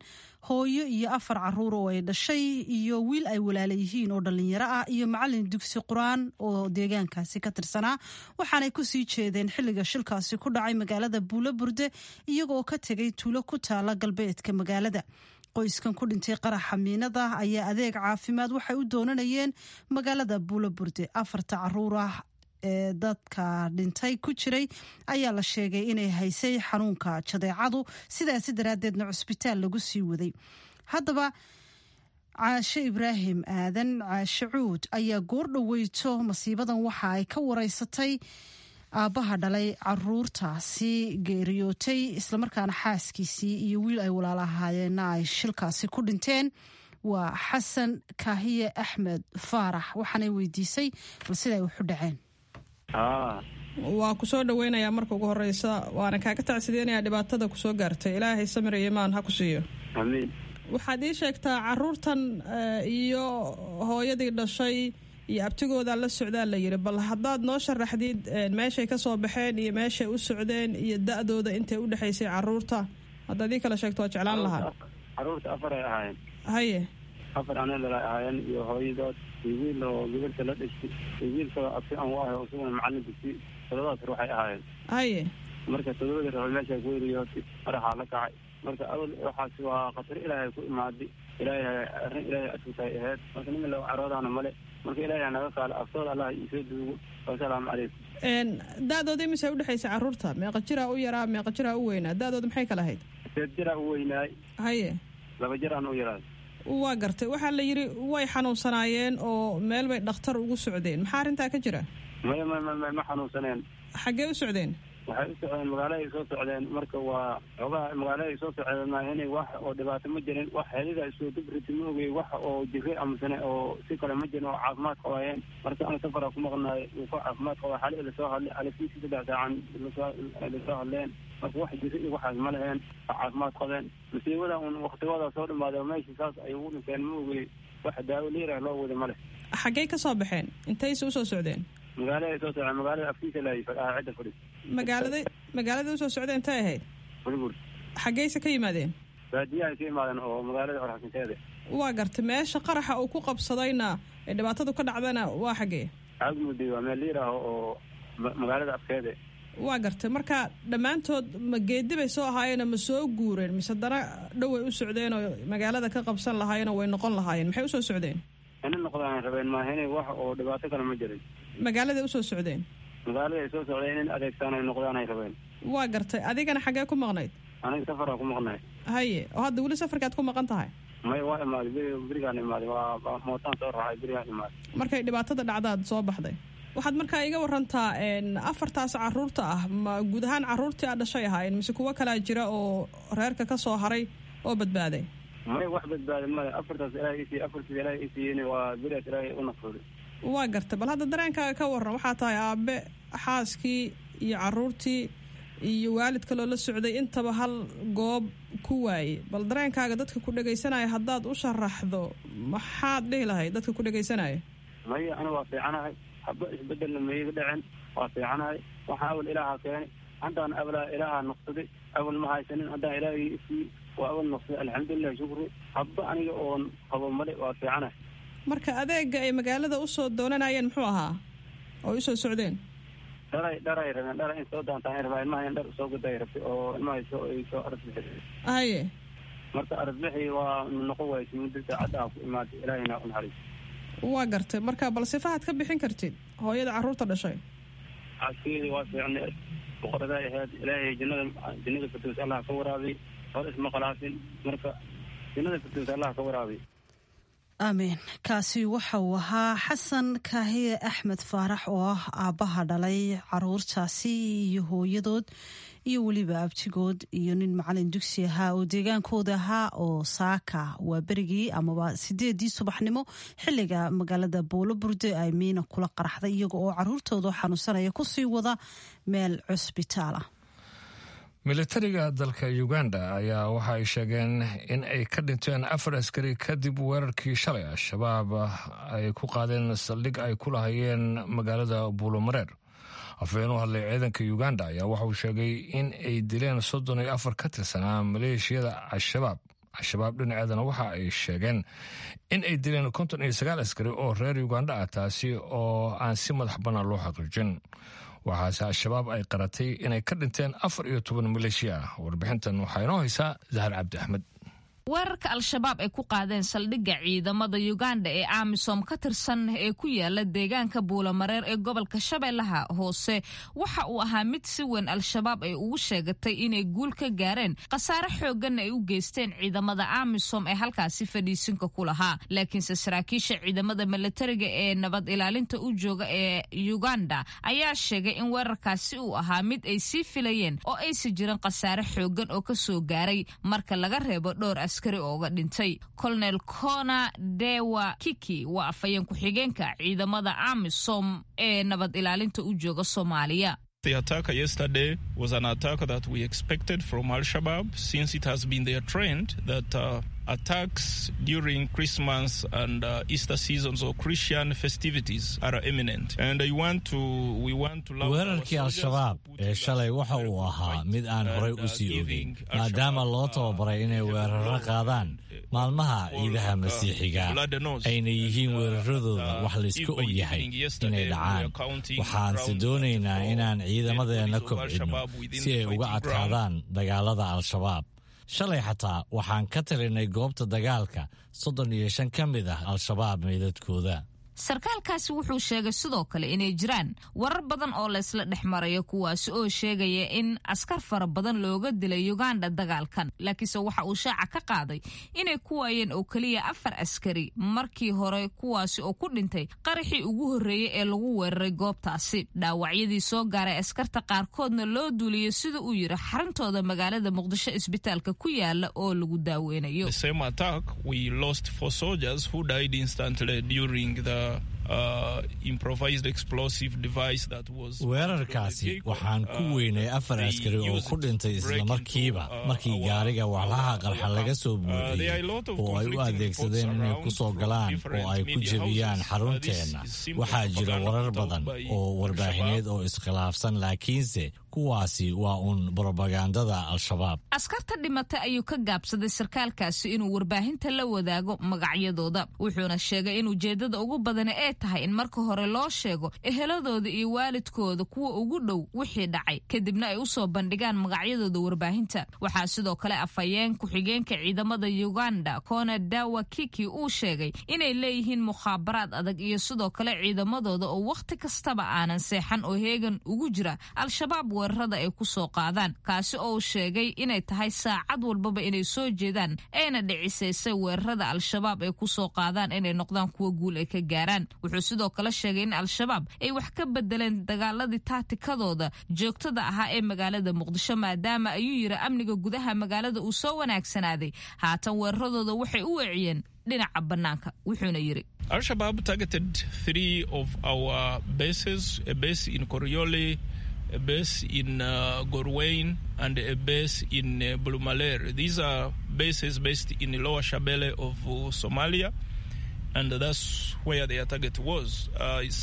hooyo iyo afar caruur oo ay dhashay iyo wiil ay walaala yihiin oo dhallinyaro ah iyo macalin dugsi qur-aan oo deegaankaasi ka tirsanaa. Waxaanay kusii jeedeen xilliga shilkaasi ku dhacay magaalada Buulo Burde iyagoo ka tegay tuulo ku taala galbeedka magaalada. Qoyskan ku dhintay qaraxa miinada ayaa adeeg caafimaad waxay u doonanayeen magaalada Buulo Burde. Afarta caruur ah ee dadka dhintay ku jiray ayaa la sheegay inay haysay xanuunka jadeecadu, sidaasi daraaddeedna cusbitaal lagu sii waday. Haddaba Caashe Ibraahim Aadan Caashe Cuud ayaa goor dhoweyto masiibadan waxa ay ka wareysatay aabbaha dhalay caruurtaasi geeriyootay, islamarkaana xaaskiisii iyo wiil ay walaala ahaayeenna ay shilkaasi ku dhinteen. Waa Xasan Kaahiye Axmed Faarax. Waxaanay weydiisay bal siday waxu dhaceen. Waa kusoo dhaweynayaa marka ugu horeysa, waana kaaga tacsideynayaa dhibaatada kusoo gaartay. Ilaahay samir iyo imaan ha ku siiyo. Amiin. Waxaad ii sheegtaa caruurtan iyo hooyadii dhashay iyo abtigoodaa la socdaa la yidhi, bal haddaad noo sharaxdid meeshay ka soo baxeen iyo meeshay u socdeen iyo da-dooda intay u dhexaysay caruurta, haddaad ii kala sheegto waa jeclaan lahaa. Caruurta afar ay ahaayeen. Haye. Afar anadala ahaayeen iyo hooyadood iyo wiil oo gabarta la dhashtay iyo wiil kaloo abti aan u ahay oo isaguna macallin dugsi. Todobadaas ruux ay ahaayeen. Haye. Marka todobadii ruux meesha ku eriyootay madaxaa la kacay. Marka awal waxaas waa khatar ilaahay ku imaaday, ilaahay arrin ilaahay asugtahay ahayd. Marka nin loo caroodaana male. Marka ilaahay naga qaalo aftooda, Allah iisoo duugo. Wasalaamu calaykum. Da-dooda imise udhexaysa caruurta? Meeqa jiraa u yaraa, meeqa jiraa u weynaa? Da-dooda maxay kala ahayd? Sideed jiraa u weynaay. Haye. Laba jiraan u yaraay. Waa gartay. Waxaa la yidhi way xanuunsanaayeen oo meel bay dhakhtar ugu socdeen, maxaa arrintaa ka jira? Maya maya maya, ma xanuunsaneen. Xaggee u socdeen? Waxay u socdeen magaaladay soo socdeen. Marka waa xoogaha magaaladay soo socdeen maahine wax oo dhibaato ma jirin, wax helida isoo dubriti ma ogey, wax oo jire amasane oo si kale ma jirin oo caafimaad qabaayeen. Marka ana safara ku maqnaay uu ka caafimaad qaba xali lasoo hadlay xalifiisi saddex saacan lasoo hadleen. Marka wax jire iyo waxaas ma leheen, caafimaad qabeen. Masiibada un waktigooda soo dhamaaday meesha saas ay ugu dhinteen ma ogey, wax daawo liirah loo wada ma leh. Xaggee ka soo baxeen? Intayse usoo socdeen? Magaalada soo socdeen, magaalada afkiisa laayay fadhaha cidda fadhis. Magaalada magaalada usoo socdeen intay ahayd? Bulbul. Xaggeyse ka yimaadeen? Baadiyahay ka yimaadeen oo magaalada qorxasinteeda. Waa gartay. Meesha qaraxa uu ku qabsadayna ee dhibaatadu ka dhacdana waa xaggee? Caagmudi waa meel liir ah oo magaalada afkeeda. Waa gartay. Marka dhammaantood ma geedi bay soo ahaayeen, ma soo guureen, mise dana dhoway u socdeen oo magaalada ka qabsan lahaayeenoo way noqon lahaayeen? Maxay usoo socdeen? Ina noqdaan rabeen maahine wax oo dhibaato kale ma jirin. Magaaladay usoo socdeen? Magaalada ay soo socdeen in adeegtaan ay noqdaan ay rabeen. Waa gartay. Adigana xaggee ku maqnayd? Aniga safaraa ku maqnay. Haye. Oo hadda weli safarkaad ku maqan tahay? May, waa imaaday beri, berigaan imaaday, waa mootaan soo raacay berigaan imaaday. Markay dhibaatada dhacdaad soo baxday. Waxaad markaa iga warantaa afartaas caruurta ah ma guud ahaan caruurtii aad dhashay ahaayeen mise kuwo kalaa jira oo reerka ka soo haray oo badbaaday? May, wax badbaaday male. Afartaas ilaahay isiiye, afartaas ilaahay isiiyeen waa berigaas ilaahay u nafsuuday. Waa gartay. Bal hadda dareenkaaga ka waran. Waxaa tahay aabe xaaskii iyo caruurtii iyo waalid kaloo la socday intaba hal goob ku waayey. Bal dareenkaaga dadka ku dhegaysanaya haddaad u sharaxdo, maxaad dhihi lahayd dadka ku dhegaysanaya? Maya, ana waa fiicanahay, haba isbedelna maiga dhacen, waa fiicanahay. Waxaa awal ilaaha keenay, haddaan awalaa ilaaha noqsaday. Awal ma haysanin, haddaan ilaahii isii waa awal noqsaday. Alxamdulilah, shukri. Habba aniga oon qabo male, waa fiicana. Marka adeega ay magaalada usoo doonanayeen muxuu ahaa oo usoo socdeen? Dharay dharay rabeen, dhara in soo doontaan rabaa. Ilmaha in dhar usoo guday rabtay oo ilmaha soo ay soo arasbixi. Haye. Marka arasbixi waa noqon waaysa muddo saacadda aan ku imaaday. Ilaahina u naxariis. Waa gartay. Marka bal sifahaad ka bixin kartid hooyada carruurta dhashay? Caskeedii waa fiicnay, boqoraday ahayd. Ilaahay jannada jannada firdows Allah ka waraabiy. Hor isma qalaafin, marka jannada firdows Allah ka waraabiy. Amiin. Kaasi waxa uu ahaa Xasan Kaahiye Axmed Faarax oo ah aabbaha dhalay caruurtaasi iyo hooyadood iyo weliba abtigood iyo nin macalin dugsi ahaa oo deegaankooda ahaa oo saaka waa berigii amaba sideedii subaxnimo xiliga magaalada Buulo Burde ay miina kula qaraxday iyaga oo caruurtooda xanuunsanaya kusii wada meel cusbitaal ah. Militariga dalka Uganda ayaa waxa ay sheegeen in ay ka dhinteen afar askari kadib weerarkii shalay Al-Shabaab ay ku qaadeen saldhig ay ku lahayeen magaalada Buulomareer. Afhayeen u hadlay ciidanka Uganda ayaa waxa uu sheegay in ay dileen soddon iyo afar ka tirsanaa maleeshiyada Al-Shabaab. Al-Shabaab dhinaceedana waxa ay sheegeen in ay dileen konton iyo sagaal askari oo reer Uganda ah, taasi oo aan si madax bannaan loo xaqiijin. Waxaase Al-Shabaab ay qaratay inay ka dhinteen afar iyo toban maleeshiya ah. Warbixintan waxaa inoo haysaa Zahar Cabdi Axmed. Weerarka Al-Shabaab ay ku qaadeen saldhigga ciidamada Uganda ee AMISOM ka tirsan ee ku yaala deegaanka Buulamareer ee gobolka Shabeellaha Hoose waxa uu ahaa mid si weyn Al-Shabaab ay ugu sheegatay inay guul ka gaareen, khasaare xoogganna ay u geysteen ciidamada AMISOM ee halkaasi fadhiisinka ku lahaa. Laakiinse saraakiisha ciidamada milatariga ee nabad ilaalinta u jooga ee Uganda ayaa sheegay in weerarkaasi uu ahaa mid ay sii filayeen oo aysi jirin khasaare xooggan oo kasoo gaaray marka laga reebo dhowr askari ooga dhintay. Colonel Cona Dewa Kiki waa afhayeen ku-xigeenka ciidamada AMISOM ee nabad ilaalinta u jooga Soomaaliya. The attack yesterday was an attack that we expected from Al-Shabaab, since it has been their trend that uh, attacks during Christmas and uh, Easter seasons or Christian festivities are imminent. And I want to, we want to Weerarkii Al-Shabaab ee shalay waxa uu ahaa mid aan horay u sii ogeyn, maadaama loo tababaray inay weeraro qaadaan maalmaha ciidaha Masiixiga, ayna yihiin weeraradooda wax layska og yahay inay dhacaan. Waxaanse doonaynaa inaan ciidamadeenna kobcinno si ay uga adkaadaan dagaalada Al-Shabaab. Shalay xataa waxaan ka talinay goobta dagaalka soddon iyo shan ka mid ah Al-Shabaab meydadkooda. Sarkaalkaasi wuxuu sheegay sidoo kale inay jiraan warar badan oo laysla dhex marayo, kuwaasi oo sheegaya in askar fara badan looga dilay Uganda dagaalkan, laakiinse waxa uu shaaca ka qaaday inay ku waayeen oo keliya afar askari markii hore, kuwaasi oo ku dhintay qaraxii ugu horreeyey ee lagu weeraray goobtaasi. Dhaawacyadii soo gaaray askarta qaarkoodna loo duuliyey, sida uu yiri, xaruntooda magaalada Muqdisho isbitaalka ku yaala oo lagu daaweynayo. The same attack, we lost four soldiers who died instantly during the Uh, improvised explosive device that was Weerarkaasi waxaan ku weynay afar askari oo ku dhintay islamarkiiba markii gaariga walxaha qarxa laga soo buuxiyey oo ay u adeegsadeen inay ku soo galaan oo ay ku jebiyaan xarunteenna. Waxaa jira warar badan oo warbaahineed oo iskhilaafsan, laakiinse kuwaasi waa uun brobagandada Al-Shabaab. Askarta dhimatay ayuu ka gaabsaday sarkaalkaasi inuu warbaahinta la wadaago magacyadooda, wuxuuna sheegay in ujeedada ugu badani ee tahay in marka hore loo sheego eheladooda iyo waalidkooda kuwa ugu dhow wixii dhacay, kadibna ay usoo bandhigaan magacyadooda warbaahinta. Waxaa sidoo kale afhayeen ku-xigeenka ciidamada Uganda Kona Dawa Kiki uu sheegay inay leeyihiin mukhaabaraad adag iyo sidoo kale ciidamadooda oo wakhti kastaba aanan seexan oo heegan ugu jira Al-Shabaab weerarada ay ku soo qaadaan, kaasi oo uu sheegay inay tahay saacad walbaba inay soo jeedaan ayna dhicisaysay weerarada Al-Shabaab ay ku soo qaadaan inay noqdaan kuwa guul ay ka gaaraan. Wuxuu sidoo kale sheegay in Al-Shabaab ay wax ka bedeleen dagaaladii taatikadooda joogtada ahaa ee magaalada Muqdisho, maadaama ayuu yiri amniga gudaha magaalada uu soo wanaagsanaaday. Haatan weeraradooda waxay u weeciyeen dhinaca bannaanka, wuxuuna yiri: Al-Shabaab targeted three of our bases, a base in Koriole, a base in uh, Gorwain, and a base in uh, Bulumaler. These are bases based in the Lower Shabelle of uh, Somalia, and that's where their target was. Uh, it's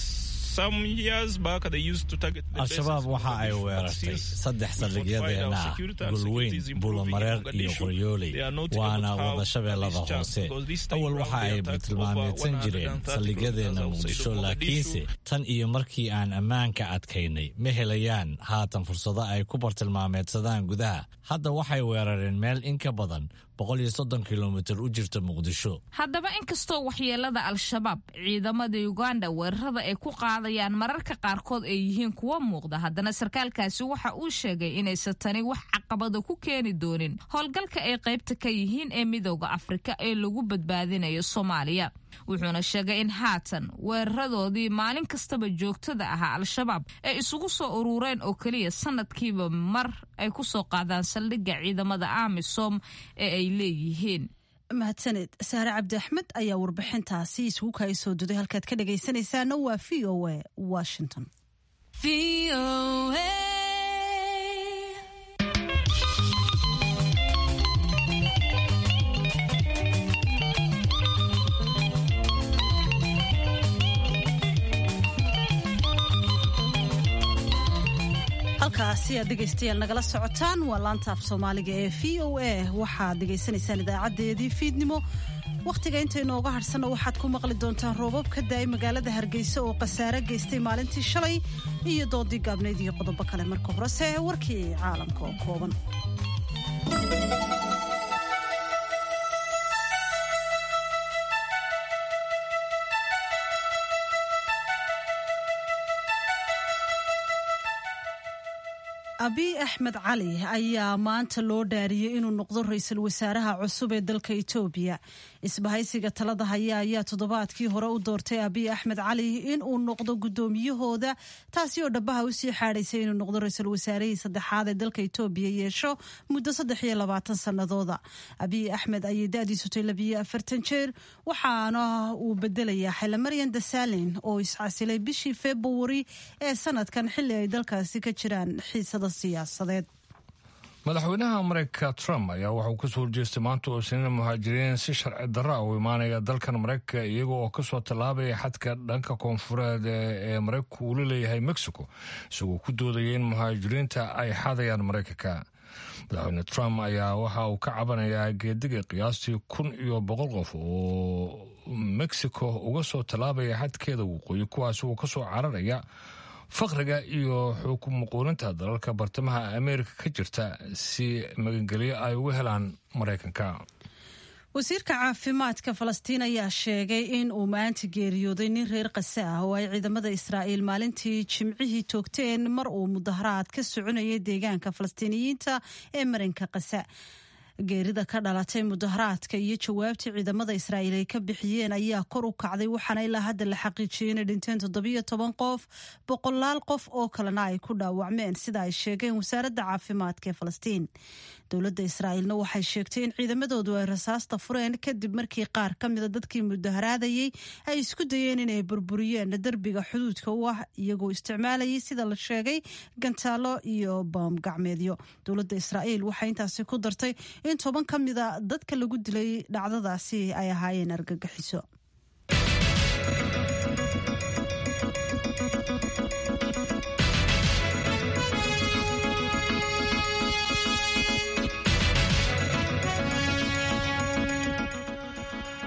Al-shabaab waxa ay weerartay saddex saldhigyadeenna ah, Golweyn, Buulamareer iyo Qoryooley, waana wada Shabeellada Hoose. Awal waxa ay bartilmaameedsan jireen saldhigyadeenna Muqdisho, laakiinse tan iyo markii aan ammaanka adkaynay ma helayaan haatan fursado ay ku bartilmaameedsadaan gudaha. Hadda waxay weerareen meel in ka badan boqol iyo soddon kilomitir u jirta Muqdisho. Haddaba, inkastoo waxyeelada Al-Shabaab ciidamada Uganda weerarada ay ku qaadayaan mararka qaarkood ay yihiin kuwo muuqda, haddana sarkaalkaasi waxa uu sheegay inaysan tani wax caqabada ku keeni doonin howlgalka ay qaybta ka yihiin ee Midooda Afrika ee lagu badbaadinayo Soomaaliya. Wuxuuna sheegay in haatan weeraradoodii maalin kastaba joogtada ahaa Al-Shabaab ay isugu soo urureen oo keliya sanadkiiba mar ay ku soo qaadaan saldhigga ciidamada AMISOM ee ay leeyihiin. Mahadsaned Saare Cabdi Axmed ayaa warbixintaasi isugu kaay soo duday. Halkaad ka dhagaysanaysaana waa V O A Washington. Halkaasi aad dhegaystayaal nagala socotaan waa laanta af Soomaaliga ee V O A. Waxaad dhegaysanaysaan idaacadeedii fiidnimo. Wakhtiga inta inooga harhsanna waxaad ku maqli doontaan roobab ka daayay magaalada Hargeysa oo khasaare geystay maalintii shalay iyo doodii gaabnayd iyo qodobo kale. Marka horese warkii caalamka oo kooban. Abiy Axmed Cali ayaa maanta loo dhaariyey inuu noqdo ra-iisul wasaaraha cusub ee dalka Itoobiya. Isbahaysiga talada haya ayaa toddobaadkii hore u doortay Abiy Axmed Cali inuu noqdo guddoomiyahooda, taasi oo dhabaha usii xaadhaysay inuu noqdo ra-iisul wasaarihii saddexaad ee dalka Itoobiya yeesho muddo saddex iyo labaatan sannadooda. Abiy Axmed ayay da-diisu tay labiyo afartan jeer, waxaana uu bedelayaa Xaylamaryan Dasalin oo iscasilay bishii Februari ee sanadkan, xilli ay dalkaasi ka jiraan xiisada siyaasadeed. Madaxweynaha Mareykanka Trump ayaa waxauu kasoo horjeestay maanta oo Isniina muhaajiriin si sharci darra u imaanaya dalkan Mareykanka, iyaga oo kasoo tallaabaya xadka dhanka koonfureed ee Mareykanku uu la leeyahay Mexico, isagoo ku doodaya in muhaajiriinta ay xadayaan Mareykanka. Madaxweyne Trump ayaa waxa uu ka cabanayaa geediga qiyaastii kun iyo boqol qof oo Mexico uga soo tallaabaya xadkeeda waqooyi, kuwaas uu kasoo cararaya faqriga iyo xukumuquulinta dalalka bartamaha Ameerika ka jirta si magangelyo ay uga helaan Maraykanka. Wasiirka caafimaadka Falastiin ayaa sheegay in uu maanta geeriyooday nin reer Qase ah oo ay ciidamada Israa'iil maalintii Jimcihii toogteen mar uu mudaharaad ka soconayay deegaanka Falastiiniyiinta ee marinka Qase. Geerida ka dhalatay mudaharaadka iyo jawaabtii ciidamada Israa'iil ay ka bixiyeen ayaa kor u kacday, waxaana ilaa hadda la xaqiijiyey inay dhinteen toddobiyo toban qof, boqolaal qof oo kalena ay ku dhaawacmeen, sida ay sheegeen wasaaradda caafimaadka ee Falastiin. Dowladda Israa'iilna waxay sheegtay in ciidamadoodu ay rasaasta fureen kadib markii qaar ka mida dadkii mudaharaadayey ay isku dayeen inay burburiyeen derbiga xuduudka u ah, iyagoo isticmaalayay, sida la sheegay, gantaalo iyo baam gacmeedyo. Dowladda Israa'iil waxay intaasi ku dartay in toban ka mida dadka lagu dilay dhacdadaasi ay ahaayeen argagixiso.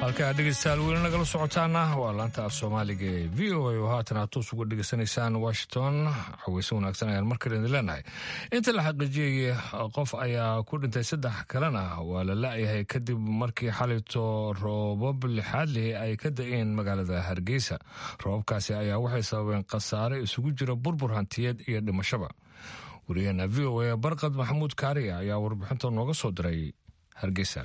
Halkaa dhegeystayaal weli nagala socotaana waa laanta af Soomaaliga ee V O A oo haatan aad toos uga dhegeysanaysaan Washington. Caweyse wanaagsan ayaan markale idin leenahay. Inta la xaqiijiyey qof ayaa ku dhintay, saddex kalena waa la la-yahay kadib markii xalayto roobab lixaad lihi ay ka da-een magaalada Hargeysa. Roobabkaasi ayaa waxay sababeen khasaare isugu jira burbur hantiyeed iyo dhimashaba. Wariyaheena V O A Barqad Maxamuud Kaariya ayaa warbixinta nooga soo diray Hargeysa.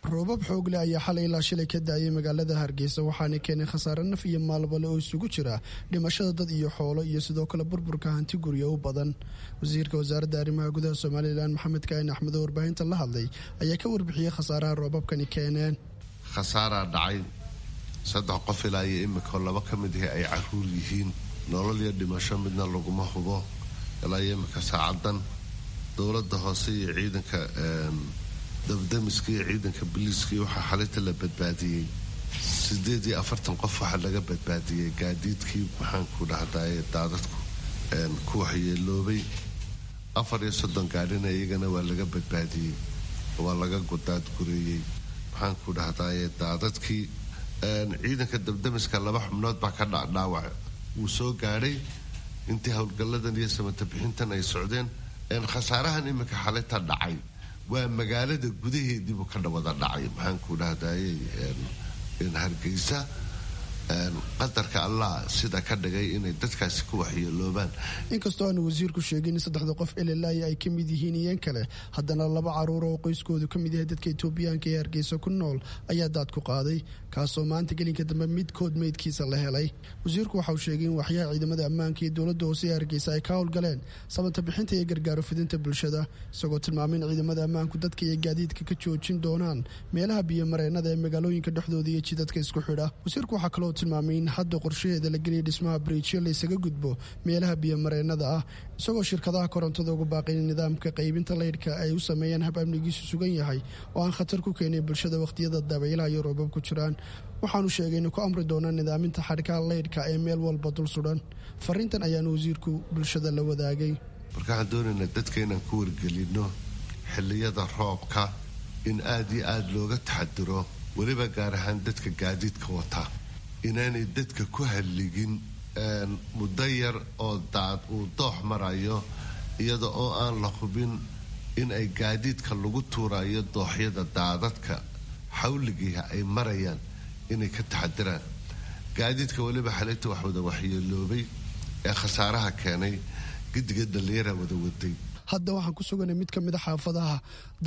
Roobab xoogle ayaa xalay ilaa shilay ka daayay magaalada Hargeysa, waxaana keenay khasaare naf iyo maalbale oo isugu jira dhimashada dad iyo xoolo iyo sidoo kale burburka hanti guryo u badan. Wasiirka wasaaradda arrimaha gudaha Somalilan Maxamed Kaahin Axmed oo warbaahinta la hadlay ayaa ka warbixiyey khasaaraha roobabkani keeneen. Khasaaraa dhacay, saddex qof ilaa iyo imika laba ka mid ihi ay caruur yihiin. Nolol iyo dhimasho midna laguma hubo ilaa iyo imika saacadan. Dowladda hoose iyo ciidanka dabdamiska iyo ciidanka biliiskii waxaa xalinta la badbaadiyey Sideed iyo afartan qof waxaa laga badbaadiyey gaadiidkii maxaanku dhahdaye daadadku ku waxyeeloobay. Afar iyo soddon gaadhina iyagana waa laga badbaadiyey, waa laga daadgureeyey maxaanku dhahdaye daadadkii. Ciidanka dabdamiska laba xubnood baa ka dhaawac wuu soo gaadhay intii howlgalladan iyo samata bixintan ay socdeen. Khasaarahan iminka xalita dhacay waa magaalada gudaheediibuu ka wada dhacay maxaanku dhahdaye Hargeysa. Qadarka Allah sida ka dhigay inay dadkaasi ku waxyeeloobaan. Inkastoo aanu wasiirku sheegin in saddexda qof elelaayi ay ka mid yihiin iyan kale, haddana laba caruur oo qoyskoodu ka mid yahay dadka Itoobiyaanka ee Hargeysa ku nool ayaa daad ku qaaday, kaasoo maanta gelinka dambe midkood meydkiisa la helay. Wasiirku waxa uu sheegay in waxyaha ciidamada ammaanka iyo dowladda hoose ee Hargeysa ay ka howlgaleen samata bixinta iyo gargaaro fidinta bulshada, isagoo tilmaamay in ciidamada ammaanku dadka iyo gaadiidka ka joojin doonaan meelaha biyomareennada ee magaalooyinka dhexdooda iyo jidadka isku xidha. Wasiirku waxaa kaloo tilmaamay in hadda qorshaheeda la geliyay dhismaha bariijyo la isaga gudbo meelaha biyomareennada ah, isagoo shirkadaha korontada ugu baaqay in nidaamka qaybinta laydhka ay u sameeyaan hab amnigiisu sugan yahay oo aan khatar ku keenin bulshada wakhtiyada dabaylaha iyo roobab ku jiraan. Waxaanu sheegay inuu ku amri doonaa nidaaminta xadhkaha laydhka ee meel walba dul sudhan. Fariintan ayaanu wasiirku bulshada la wadaagay. Marka waxaan doonaynaa dadka inaan ku wargelino xilliyada roobka in aada iyo aada looga taxadiro, weliba gaar ahaan dadka gaadiidka wata, inaanay dadka ku halligin muddo yar oo daad uu doox marayo, iyada oo aan la hubin in ay gaadiidka lagu tuurayo dooxyada daadadka xawligiiha ay marayaan inay ka taxadiraan. Gaadiidka weliba xalinta wax wada waxyeeloobay ee khasaaraha keenay gidiga dhallinyara wada waday. Hadda waxaan ku suganay mid ka mid a xaafadaha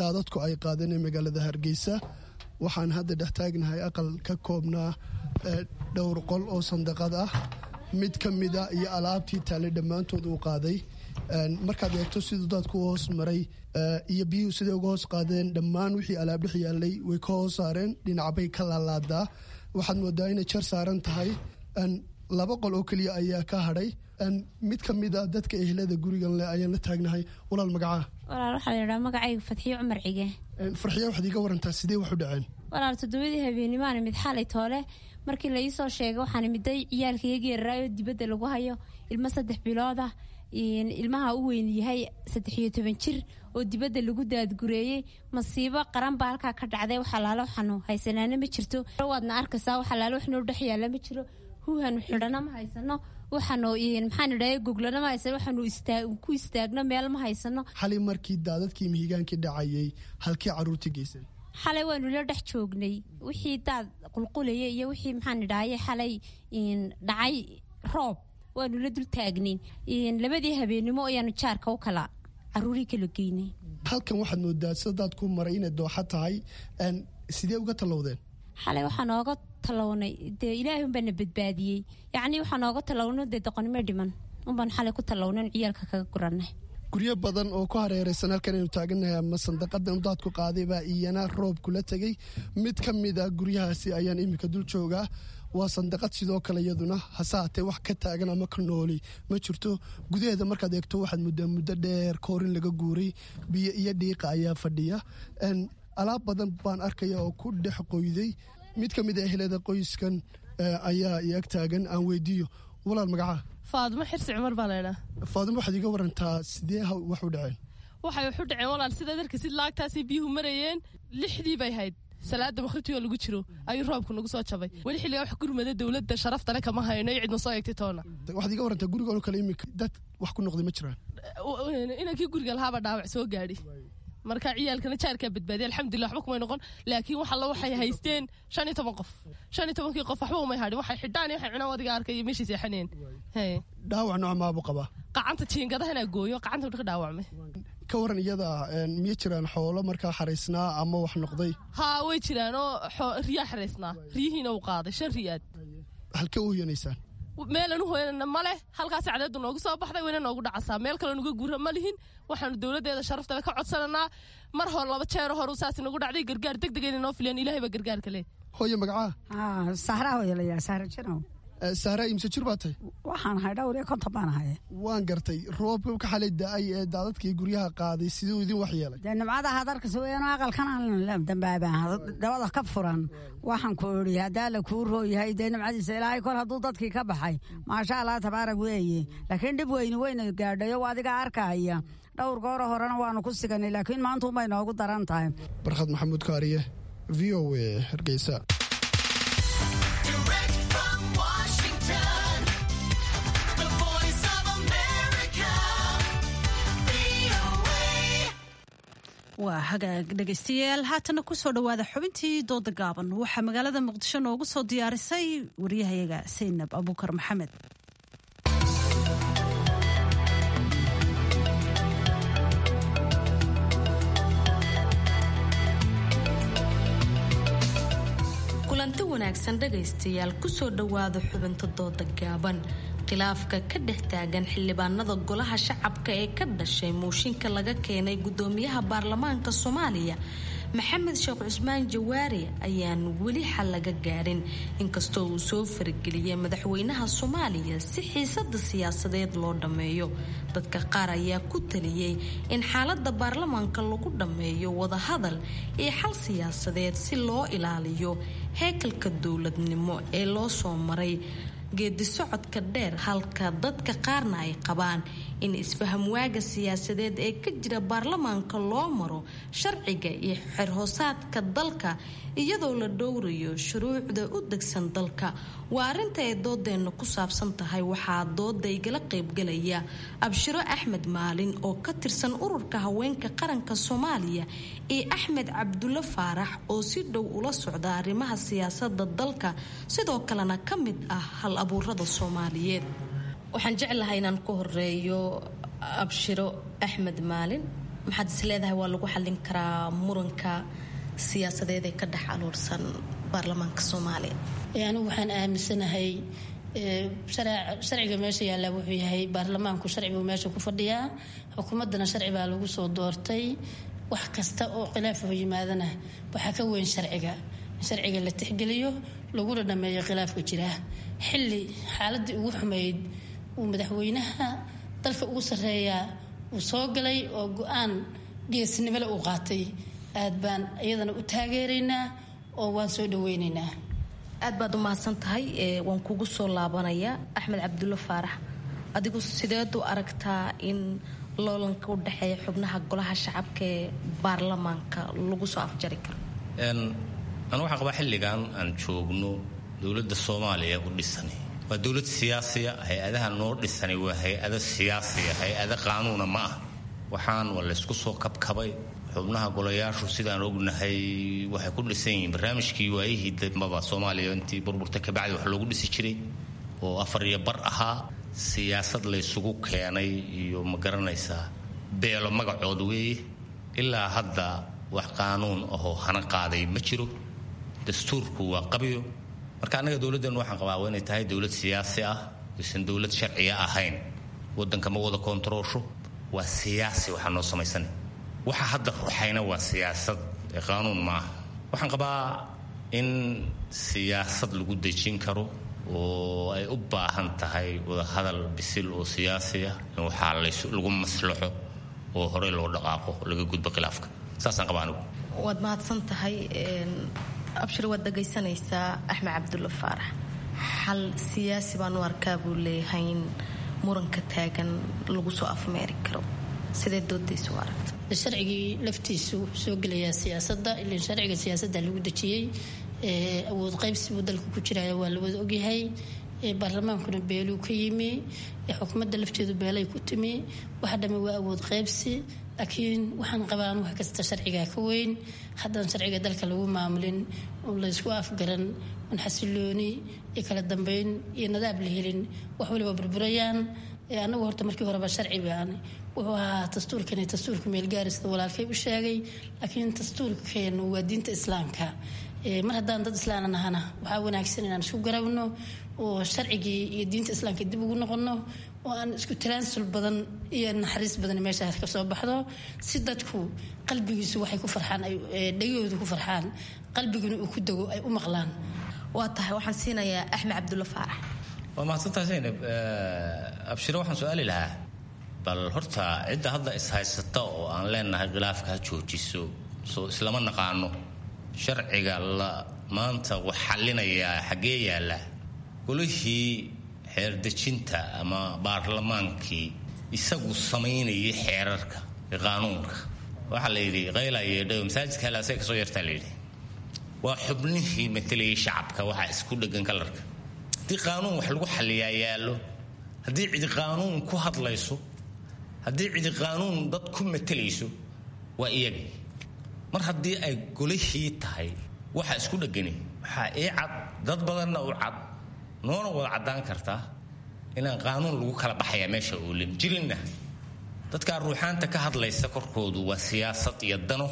daadadku ay qaadeen ee magaalada Hargeysa. Waxaan hadda dhex taagnahay aqal ka koobnaa dhowr qol oo sandaqad ah, mid ka mida iyo alaabtii taallay dhammaantood uu qaaday. Markaad eegto siduu daadku u hoos maray iyo biyuhu siday uga hoos qaadeen, dhammaan wixii alaab dhex yaallay way ka hoos saareen, dhinacbay ka laalaadaa. Waxaad moodaa inay jar saaran tahay. Laba qol oo keliya ayaa ka hadhay. Mid ka mid a dadka ehlada gurigan leh ayaan la taagnahay. Walaal, magacaa? Walaal, waxaa la yidhaha magacayga Fadxiyo Cumar Cige. Farxiya, waxaad iiga warantaa sidee wax u dhaceen? Walaal, toddobadii habeenimaana mid xalay toole markii la iisoo sheegay waxaan miday ciyaalka iyaga yararaayo dibadda lagu hayo, ilmo saddex bilood ah, ilmaha u weyn yahay saddex iyo toban jir oo dibadda lagu daadgureeyey. Masiibo qaran baa halkaa ka dhacday. Wax alaalo waxaanu haysanaana ma jirto, waadna arkaysaa. Wax alaalo wax noo dhex yaalla ma jiro. Huuhanu xidhana ma haysano, waxaanu maxaan idhahay goglana ma haysano, waxaanu ku istaagno meel ma haysano. Xalay markii daadadkii mihigaankii dhacayay halkii caruurtii geysay? Xalay waanu la dhex joognay wixii daad qulqulayay iyo wixii maxaan idhahaye xalay dhacay roob waanu la dul taagnayn. Labadii habeennimo ayaanu jaarka u kala caruurii kala geynay. Halkan waxaad moodaa sida daadku maray inay dooxa tahay, sidee uga tallowdeen? Xalay waxaa nooga talownay dee ilaahay unbaa na badbaadiyey. Yacnii waxaa nooga talowno dee doqonnimo dhiman unbaan xalay ku talownan ciyaalka kaga guranay. Guryo badan oo ku hareeraysan halkan aynu taagannahay ama sandaqadan daadku qaaday baa iyana roob kula tegey. Mid ka mid a guryahaasi ayaan iminka dul joogaa. Waa sandaqad sidoo kale iyaduna, hase haatee wax ka taagan ama ka nooli ma jirto. Gudaheeda markaad eegto waxaad muddaa muddo dheer koorin laga guuray, biyo iyo dhiiqa ayaa fadhiya. Alaab badan baan arkaya oo ku dhex qoyday. Mid ka mid a ehlada qoyskan ayaa i ag taagan, aan weydiiyo. Walaal, magacaa? Faadimo Xirsi Cumar baa laydhaa. Faadimo, waxaad iga warantaa sidee wax u dhaceen? Waxay wax u dhaceen walaal, sidaad arkaysid laagtaasay biyuhu marayeen. Lixdii bay hayd salaada maqribtii lagu jiro ayuu roobku nagu soo jabay. Weli xilligaa wax gurmada dowladda sharaftale kama hayno iyo cidna soo eegtay toona. Waxaad iga warantaa guriga oo kale imika dad wax ku noqday ma jiraan? Inankii guriga lahaaba dhaawac soo gaadhi, marka ciyaalkana jaarkaa badbaadiya, alxamdulillah, waxba kumay noqon. Laakiin wax alla waxay haysteen shan iyo toban qof, shan iyo tobankii qof waxba umay hadhin. Waxay xidhaan iyo waxay cunaan wadiga arkay iyo meeshii seexaneen. Dhaawac nooc maabuu qabaa? Qacanta jiingadahana gooyo, qacanta ka dhaawacmay. Ka waran iyada, miya jiraan xoolo markaa xaraysnaa ama wax noqday? Haa, way jiraan oo riyaa xaraysnaa, riyihiina uu qaaday, shan riyaad. Halkee u hoyanaysaan? Meelan u hoyanana ma leh. Halkaasi cadeedu noogu soo baxday wayna noogu dhacasaa, meel kale nuga guura ma lihin. Waxaanu dowladdeeda sharaftale ka codsananaa mar hore laba jeero horu saas nagu dhacday gargaar deg deg inay noo filiyaan. Ilaahay baa gargaarka leh. Hooye, magacaa? Sahra hooye layaa, Sahra Janow. Sahra, imse jir baa tahay? Waxaan ahay dhowr iyo konton baan ahay. Waan gartay. Roobka xalay da-ay ee daadadkii guryaha qaaday siduu idin waxyeelay? Dee nimcada hadarkas weeyaan, aqalkan aan dambaabaan dabada ka furan. Waxaan ku idhi haddaa la kuu rooyahay, dee nimcadiisa Ilaahay kol hadduu dadkii ka baxay, maasha Allah tabaarak weeye, laakiin dhib weyni weyna gaadhayo, adiga arkahaya. Dhowr gooro horena waanu ku siganay, laakiin maanta unbay noogu daran tahay. Barkhad Maxamuud Kaariye, V O A, Hargeysa. Waa hagaag dhegaystayaal, haatana kusoo dhowaada xubintii dooda gaaban. Waxaa magaalada Muqdisho noogu soo diyaarisay wariyahayaga Saynab Abuukar Maxamed. Kulanti wanaagsan dhegaystayaal, kusoo dhowaada xubinta dooda gaaban. Khilaafka ka dhex taagan xildhibaanada golaha shacabka ee ka dhashay mooshinka laga keenay gudoomiyaha baarlamaanka Soomaaliya Maxamed Sheekh Cusmaan Jawaari ayaan weli xal laga gaarin, inkastoo uu soo farageliyay madaxweynaha Soomaaliya si xiisada siyaasadeed loo dhammeeyo. Dadka qaar ayaa ku taliyey in xaalada baarlamaanka lagu dhammeeyo wadahadal iyo xal siyaasadeed si loo ilaaliyo heekalka dowladnimo ee loo soo maray geedi socodka dheer, halka dadka qaarna ay qabaan in isfahamwaaga siyaasadeed ee ka jira baarlamaanka loo maro sharciga iyo xerhoosaadka dalka, iyadoo la dhowrayo shuruucda u degsan dalka. Waa arrinta ay doodeenna ku saabsan tahay. Waxaa dooda igala qaybgalaya Abshiro Axmed Maalin oo ka tirsan ururka haweenka qaranka Soomaaliya iyo Axmed Cabdulle Faarax oo si dhow ula socda arrimaha siyaasada dalka, sidoo kalena ka mid ah hal abuurada Soomaaliyeed. Waxaan jeclahay inaan ku horeeyo Abshiro Axmed Maalin. Maxaad is leedahay waa lagu xallin karaa muranka siyaasadeed ee ka dhex aluursan baarlamaanka Soomaaliya? Anigu waxaan aaminsanahay sharciga meesha yaallaa wuxuu yahay baarlamaanku sharcibuu meesha ku fadhiyaa, xukuumaddana sharci baa lagu soo doortay. Wax kasta oo khilaaf oo yimaadana waxaa ka weyn sharciga, in sharciga la tixgeliyo laguna dhameeyo khilaafka jira. Xilli xaaladii ugu xumayd uu madaxweynaha dalka ugu sarreeyaa uu soo galay oo go-aan geesnimole uu qaatay, aad baan iyadana u taageeraynaa oo waan soo dhaweynaynaa. Aad baad u mahadsan tahay, waan kugu soo laabanayaa. Axmed Cabdulle Faarax, adigu sideed u aragtaa in loolanka u dhexeeya xubnaha golaha shacabka ee baarlamaanka lagu soo afjari karo? Anu waxaan qabaa xilligan aan joogno dowladda Soomaaliya u dhisani waa dowlad siyaasiya. Hay-adaha noo dhisani waa hay-ado siyaasiya, hay-ado qaanuuna ma ah. Waxaan waa laysku soo kabkabay. Xubnaha golayaashu sidaan ognahay waxay ku dhisan yihiin barnaamijkii waayihii dambaba Soomaaliya intii burburta kabacdi wax loogu dhisi jiray oo afar iyo bar ahaa. Siyaasad laysugu keenay iyo ma garanaysaa beelo magacood weeye. Ilaa hadda wax qaanuun ahoo hana qaaday ma jiro, dastuurku waa qabyo. Marka annaga dowladdeenu waxaan qabaa waa inay tahay dowlad siyaasi ah, aysan dowlad sharciya ahayn. Waddanka ma wada koontaroosho, waa siyaasi waxaa noo samaysanay. Waxa hadda ruxayna waa siyaasad, qaanuun ma ah. Waxaan qabaa in siyaasad lagu dejin karo oo ay u baahan tahay wadahadal bisil oo siyaasi ah, in waxaa lagu maslaxo oo horey loo dhaqaaqo, laga gudbo khilaafka. Saasaan qabaa anigu. Waad mahadsan tahay Abshir, waad dhagaysanaysaa Axmed Cabdulle Faarax. Xal siyaasi baan u arkaa buu leeyahay in muranka taagan lagu soo afmeeri karo. Sidee doodaysa u aragta? Sharcigii laftiisu soo gelayaa siyaasadda, ilan sharciga siyaasadda lagu dejiyey. Awood qaybsi buu dalka ku jiraya, waa la wada ogyahay. Baarlamaankuna beeluu ka yimi, xukuumadda lafteedu beelay ku timi. Waxa dhami waa awood qaybsi, laakiin waxaan qabaan wax kasta sharcigaa ka weyn. Haddaan sharciga dalka lagu maamulin oon laysku afgaran oon xasilooni iyo kala dambeyn iyo nadaab la helin, wax waliba burburayaan. Anagu horta markii horeba sharci baan wuxuu ahaa dastuurkani dastuurka meelgaari sida walaalkay u sheegay, laakiin dastuurkeenu waa diinta islaamka. Mar haddaan dad islaana nahana, waxaa wanaagsan inaan isku garabno oo sharcigii iyo diinta islaamka dib ugu noqono oo aan isku talaansul badan iyo naxariis badan meeshaas ka soo baxdo, si dadku qalbigiisu waxay ku farxaan, dhegahoodu ku farxaan, qalbiguna uu ku dego, ay u maqlaan. Waa tahay, waxaan siinayaa Axmed Cabdulle Faarax. Waa mahadsantahay Zaynab. Abshiro, waxaan su-aali lahaa bal horta cidda hadda ishaysata oo aan leenahay khilaafka ha joojiso, soo islama naqaano sharciga la maanta wax xallinayaa xaggee yaalla? Golihii xeerdejinta ama baarlamaankii isagu samaynayay xeerarka iyo qaanuunka, waxaa la yidhi qayla yeedhayo masaajidka halaasay kasoo yartaa la yidhi. Waa xubnihii matelayay shacabka waxaa isku dhegan kalarka. Haddii qaanuun wax lagu xalliyaa yaallo, haddii cidi qaanuun ku hadlayso, haddii cidi qaanuun dad ku matelayso, waa iyagii. Mar haddii ay golihii tahay waxa isku dhegani, waxaa ii cad, dad badanna u cad, noona wada caddaan kartaa inaan qaanuun lagu kala baxayaa meesha oolin jirinna. Dadkaa ruuxaanta ka hadlaysa korkoodu waa siyaasad iyo dano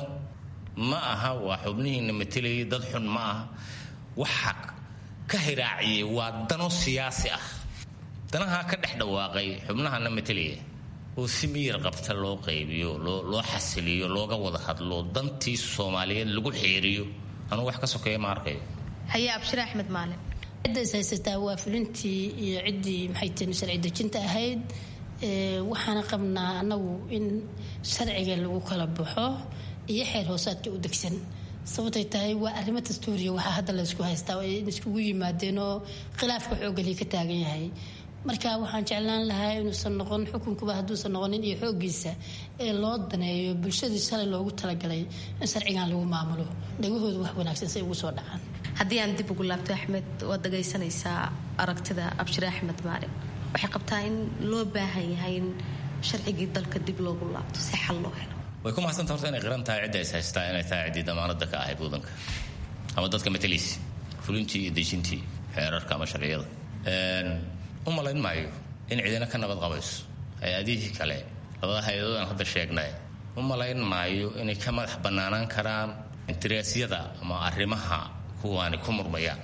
ma aha. Waa xubnihiina matelayay, dad xun ma aha. Waxa ka hiraaciyey waa dano siyaasi ah, danahaa ka dhex dhawaaqay xubnahana matelaya oo si miyir qabta loo qaybiyo, loo xasiliyo, looga wada hadlo, dantii Soomaaliyeed lagu xeeriyo. Anugu wax ka sokeeya ma arkayo. Haye, Abshir Axmed Maalin. Cidda is haysataa waa fulintii iyo ciddii maxay tihi sharci dejinta ahayd. Waxaana qabnaa anagu in sharciga lagu kala baxo iyo xeer hoosaadka u degsan, sababtay tahay waa arrimo dastuuriya. Waxaa hadda laysku haystaa in iskugu yimaadeen oo khilaafka xooggali ka taagan yahay. Marka waxaan jeclaan lahaa inuusan noqon xukunkuba hadduusan noqonin iyo xooggiisa ee loo daneeyo bulshadii shalay loogu talagalay in sharcigan lagu maamulo, dhagahooda wax wanaagsan say ugu soo dhacaan. Haddii aan dib ugu laabto Axmed, waad dhagaysanaysaa aragtida Abshire Axmed Maalin. Waxay qabtaa in loo baahan yahay in sharcigii dalka dib loogu laabto si xal loo helo. Way ku mahadsanta horta inay qiran tahay cidda is haystaa inay tahay ciddii damaanada ka ahayd wadanka ama dadka matalaysa, fulintii iyo dejintii xeerarka ama sharciyada. U malayn maayo in cidina ka nabad qabayso hay-adihii kale, labada hay-adood aan hadda sheegnay. U malayn maayo inay ka madax bannaanaan karaan intiraasyada ama arrimaha kuwaani ku murmayaan.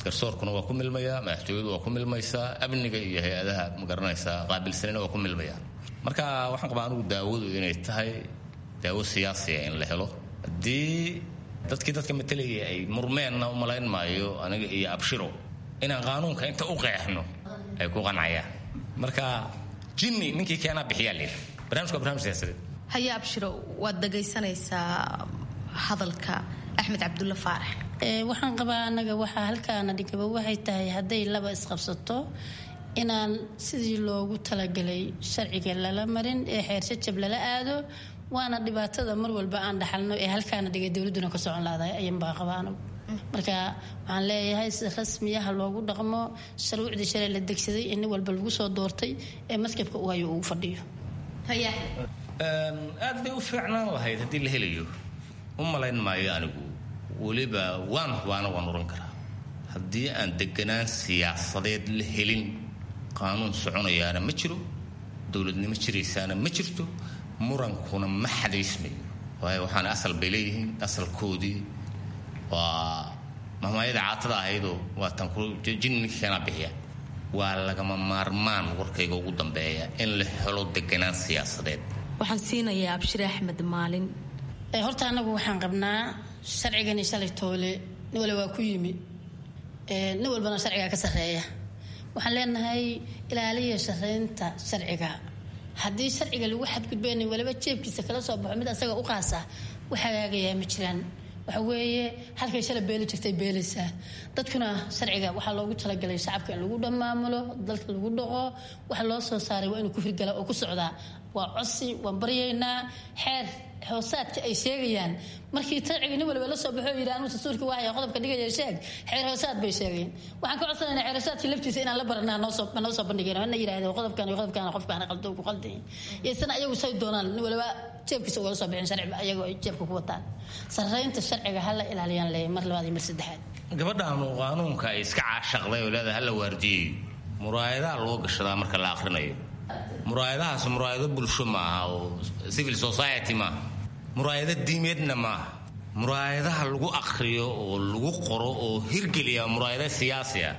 Garsoorkuna waa ku milmayaa, madaxtooyadu waa ku milmaysaa, amniga iyo hay-adaha magaranaysaa qaabilsanina waa ku milmayaan. Marka waxaan qabaa anigu daawadu inay tahay daawo siyaasiya in la helo. Haddii dadkii dadka matalayay ay murmeenna, u malayn maayo aniga iyo Abshiro inaan qaanuunka inta u qeexno ay ku qancayaan. Marka jinni ninkii keenaa bixiyaa layidhi. Barnamijku waa barnamij siyaasadeed. Haye Abshiro, waad dhagaysanaysaa hadalka Axmed Cabdulla Faarax. Waxaan qabaa anaga waxaa halkaana dhigaba waxay tahay hadday laba isqabsato inaan sidii loogu talagalay sharciga lala marin ee xeershajab lala aado. Waana dhibaatada mar walba aan dhaxalno ee halkaana dhigay dowladuna ka socon laadahay ayanbaa qabaa anagu. Marka waxaan leeyahay si rasmiyaha loogu dhaqmo shuruucdii shalay la degsaday ee nin walba lagu soo doortay ee maskabka uu hayo ugu fadhiyo. Aad bay u fiicnaan lahayd haddii la helayo. U malayn maayo anigu, weliba waan hubaana waan oran karaa, haddii aan deganaan siyaasadeed la helin qaanuun soconayaana ma jiro, dowladnimo jiraysaana ma jirto, murankuna ma xadaysmayo. Waayo waxaana asal bay leeyihiin, asalkoodii waa mahmaayada caatada ahaydoo waa tan jinni keenaa bixiya. Waa lagama maarmaan warkayga ugu dambeeya in la helo deganaan siyaasadeed. Waxaan siinayaa Abshire Axmed Maalin. Horta anagu waxaan qabnaa sharcigani shalay toole nin wale waa ku yimi, nin walbana sharcigaa ka sarreeya. Waxaan leenahay ilaaliya shareynta sharciga. Haddii sharciga lagu xadgudbay nin waliba jeebkiisa kala soo baxo mid asaga u qaasa, wax hagaagayaa ma jiraan. Waxa weeye halkay shalay beeli jirtay beelaysaa. Dadkuna sharciga waxaa loogu talagalay shacabka in lagu dhamaamulo, dalka lagu dhaqo. Waxa loo soo saaray waa inuu ku hirgala oo ku socdaa. Waa codsi, waan baryaynaa xeer hoosaadka ay sheegayaan. Markii sharciga nin waliba la soo baxo yidhi anuu dastuurka waaya qodobka dhigaya sheeg, xeer hoosaad bay sheegeen. Waxaan ka codsanaynaa xeer hoosaadka laftiisa inaan la baranaa, noo soo noo soo bandhigeen na yidhahdeen qodobkan iyo qodobkan qofkaan qaldo ku qaldayin. Isna ayagu say doonaan nin waliba jeebkiisa ugala soo bixin sharciba ayagu ay jeebka ku wataan. Sarreynta sharciga hala ilaaliyaan leeyahay mar labaad iyo mar saddexaad. Gabadhaanu qaanuunka ay iska caashaqday oo leedahay hala waardiyeeyo, muraayadaha loo gashadaa marka la akhrinayo. Muraayadahaas muraayado bulsho ma aha oo civil society maaha, muraayado diimeedna maaha. Muraayadaha lagu akhriyo oo lagu qoro oo hirgeliya muraayado siyaasi ah.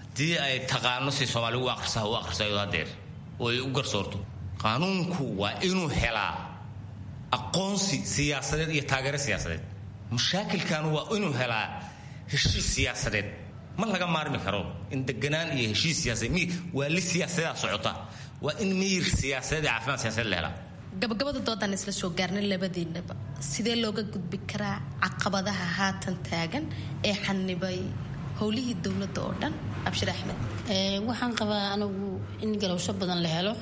Haddii ay taqaano si Soomaali u akhrisa u akhrisayo hadeer oo ay u garsoorto, qaanuunku waa inuu helaa aqoonsi siyaasadeed iyo taageero siyaasadeed. Mashaakilkan waa inuu helaa heshiis siyaasadeed. Ma laga maarmi karo in deganaan iyo heshiis siyaasadeed, waa li siyaasadaa socota, waa in miyir siyaasadeed iyo caafimaad siyaasadeed la helaa. Gabagabada doodaan isla soo gaarnay labadiinaba, sidee looga gudbi karaa caqabadaha haatan taagan ee xanibay howlihii dowladda oo dhan? Abshir Axmed. Waxaan qabaa anigu in galowsho badan la helo.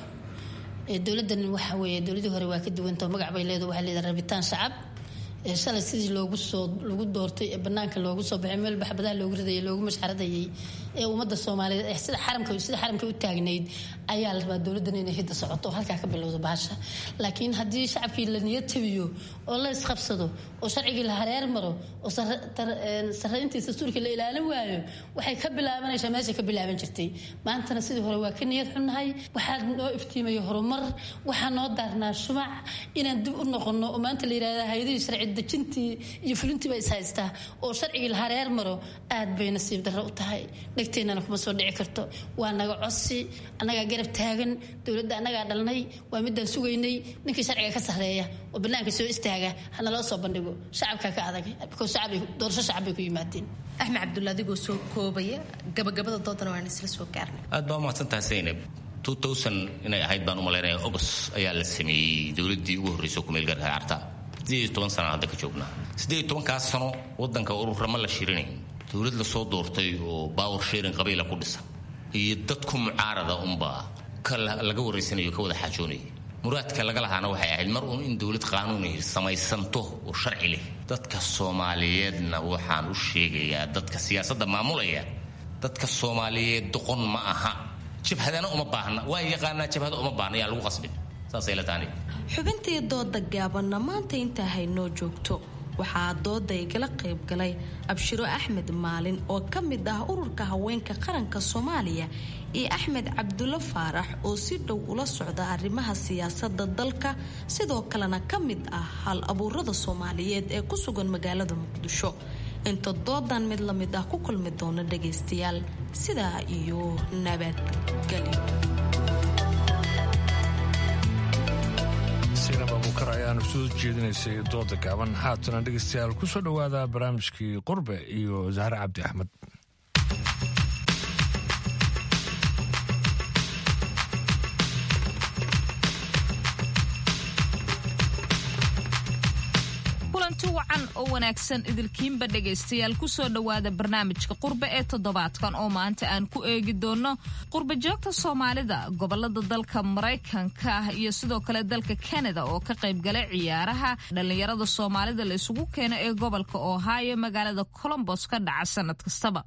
Dowladdan waxa weeye dowladii hore waa ka duwantao, magac bay leedahay, waxay leedahay rabitaan shacab. Shalay sidii loogu soo lagu doortay ee banaanka loogu soo baxay, meel baxbadaha loogu ridayay, loogu mashxaradayay ee ummadda Soomaaliyeed ee sida xaramka sida xaramka u taagnayd ayaa la rabaa dowladdan inay hidda socoto oo halkaa ka bilowdo bahasha. Laakiin haddii shacabkii la niyad jabiyo oo la isqabsado oo sharcigii la hareer maro oo sarreyntii dastuurkii la ilaalin waayo, waxay ka bilaabanaysaa meeshay ka bilaaban jirtay. Maantana sidii hore waa ka niyad xunnahay. Waxaa noo iftiimaya horumar, waxaa noo daarnaa shumac inaan dib u noqono oo maanta la yidhahda hayadihii sharci dejintii iyo fulintii baa is haystaa oo sharcigii la hareer maro, aad bay nasiib darro u tahay. Dhegteennana kuma soo dhici karto. Waa naga codsi, annagaa garab taagan dowladda, annagaa dhalnay, waa midaan sugaynay. Ninkii sharciga ka sarreeya oo bannaanka soo istaaga hana loo soo bandhigo. Shacabka ka adag because shacab doorasho shacab bay ku yimaadeen. Axmed Cabdulla, adigoo soo koobaya, gabagabada doodana waan isla soo gaarnay. Aad baa umahadsan tahay Zaynab. Inay ahayd baan u malaynaya August ayaa la sameeyey dowladdii ugu horreysay oo kumeel gaarka Carta. Sideed iyo toban sana hadda ka joognaa. Sideed iyo tobankaas sano waddanka ururama la shirinayn, dowlad la soo doortay oo power sharing qabiila ku dhisan iyo dadku mucaarada unbaa ka laga wareysanayo, ka wada xaajoonaya. Muraadka laga lahaana waxay ahayd mar uun in dowlad qaanuuni samaysanto oo sharci leh. Dadka Soomaaliyeedna waxaan u sheegayaa, dadka siyaasadda maamulaya, dadka Soomaaliyeed doqon ma aha, jabhadana uma baahna, waa yaqaanaa jabhada uma baahna, yaa lagu qasbin. Saasay la taani. Xubintii dooda gaabanna maanta intaa haynoo joogto. Waxaa dooda igala qayb galay Abshiro Axmed Maalin oo ka mid ah ururka haweenka qaranka Soomaaliya iyo Axmed Cabdulo Faarax oo si dhow ula socda arrimaha siyaasadda dalka, sidoo kalena ka mid ah hal abuurada Soomaaliyeed ee ku sugan magaalada Muqdisho. Inta doodan mid la mid ah ku kulmi doona dhagaystayaal, sidaa iyo nabadgelyo. Saynab Abuukar ayaanu soo jeedinaysay dooda gaaban. Haatana dhegeystayaal ku soo dhowaada barnaamijkii Qurbe iyo Zahre Cabdi Axmed. Kulanti wacan oo wanaagsan idilkiinba dhegaystayaal, kusoo dhowaada barnaamijka Qurbe ee toddobaadkan oo maanta aan ku eegi doono qurbe joogta Soomaalida gobolada dalka Maraykanka ah iyo sidoo kale dalka Canada oo ka qaybgalay ciyaaraha dhallinyarada Soomaalida la isugu keeno ee gobolka Ohio magaalada Columbus ka dhaca sanad kastaba.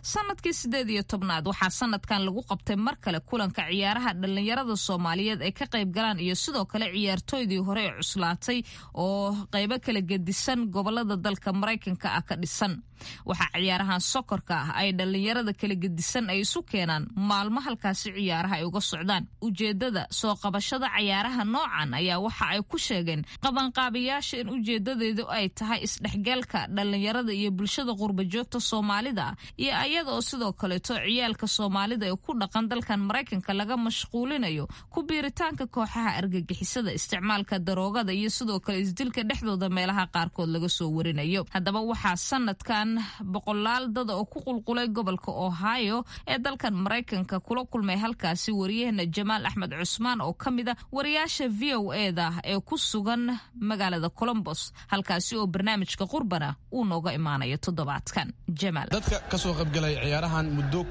Sanadkii sideed iyo tobnaad waxaa sanadkan lagu qabtay mar kale kulanka ciyaaraha dhallinyarada Soomaaliyeed ay ka qaybgalaan iyo sidoo kale ciyaartooydii hore ee cuslaatay oo qaybo kala gedisan gobolada dalka Maraykanka ah ka dhisan. Waxaa ciyaarahan sokorka ah ay dhallinyarada kala gedisan ay isu keenaan maalmo halkaasi ciyaaraha ay uga socdaan. Ujeedada soo qabashada ciyaaraha noocan ayaa waxa ay ku sheegeen qabanqaabayaasha in ujeedadeedu ay tahay isdhexgalka dhallinyarada iyo bulshada qurba joogta Soomaalida, iyo ayada oo sidoo kaleeto ciyaalka Soomaalida ee ku dhaqan dalkan Maraykanka laga mashquulinayo ku biiritaanka kooxaha argagixisada, isticmaalka daroogada iyo sidoo kale isdilka dhexdooda meelaha qaarkood laga soo warinayo. Haddaba waxaa sanadkan boqolaal dada oo ku qulqulay gobolka Ohio ee dalkan Maraykanka kula kulmay halkaasi wariyahena Jamaal Axmed Cusmaan oo ka mid a wariyaasha V O E-da ee ku sugan magaalada Columbus, halkaasi oo barnaamijka Qurbana uu nooga imaanayo toddobaadkan. Jamaal, dadka ka soo qaybgalay ciyaarahan muddo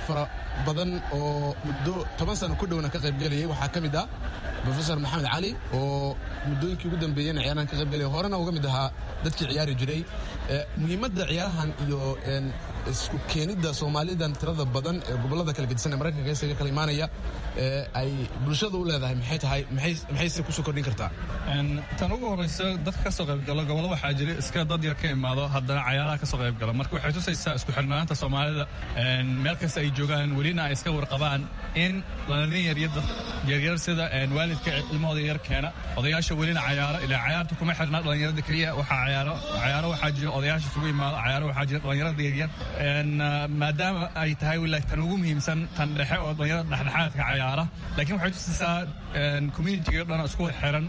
fara badan oo muddo toban sano ku dhowna ka qaybgalayay waxaa ka mid ah Professor Maxamed Cali oo muddooyinkii ugu dambeeyeyna ciyaarahan ka qaybgalaya, horena uga mid ahaa dadkii ciyaari jiray. Muhiimadda ciyaarahan iyo isku keenidda Soomaalidan tirada badan ee gobollada kala gedisan ee Maraykanka isaga kala imaanaya ay bulshada u leedahay maxay tahay, maxayse kusoo kordhin kartaa? Tan ugu horeysa, dadka kasoo qaybgalo gobollo waxaa jira iska dad yar ka imaado, haddana cayaaraha kasoo qaybgalo. Marka waxay tusaysaa isku xirnaanta Soomaalida meel kasta ay joogaan, welina ay iska warqabaan in dhalin yaryar sida waalidka ilmahooda yar keena, odayaasha welina cayaaro. Ilaa cayaarta kuma xirna dhalinyarada keliya. Waxaa cayaaro cayaaro waxaa jira odayaasha isugu imaado, cayaaro waxaa jira dhalinyarada yaryar Maadaama ay tahay wila tan ugu muhiimsan tan dhexe oo dhalinyarada dhexdhexaadka cayaara, laakiin waxay tusaysaa communitiga dhan isku xiran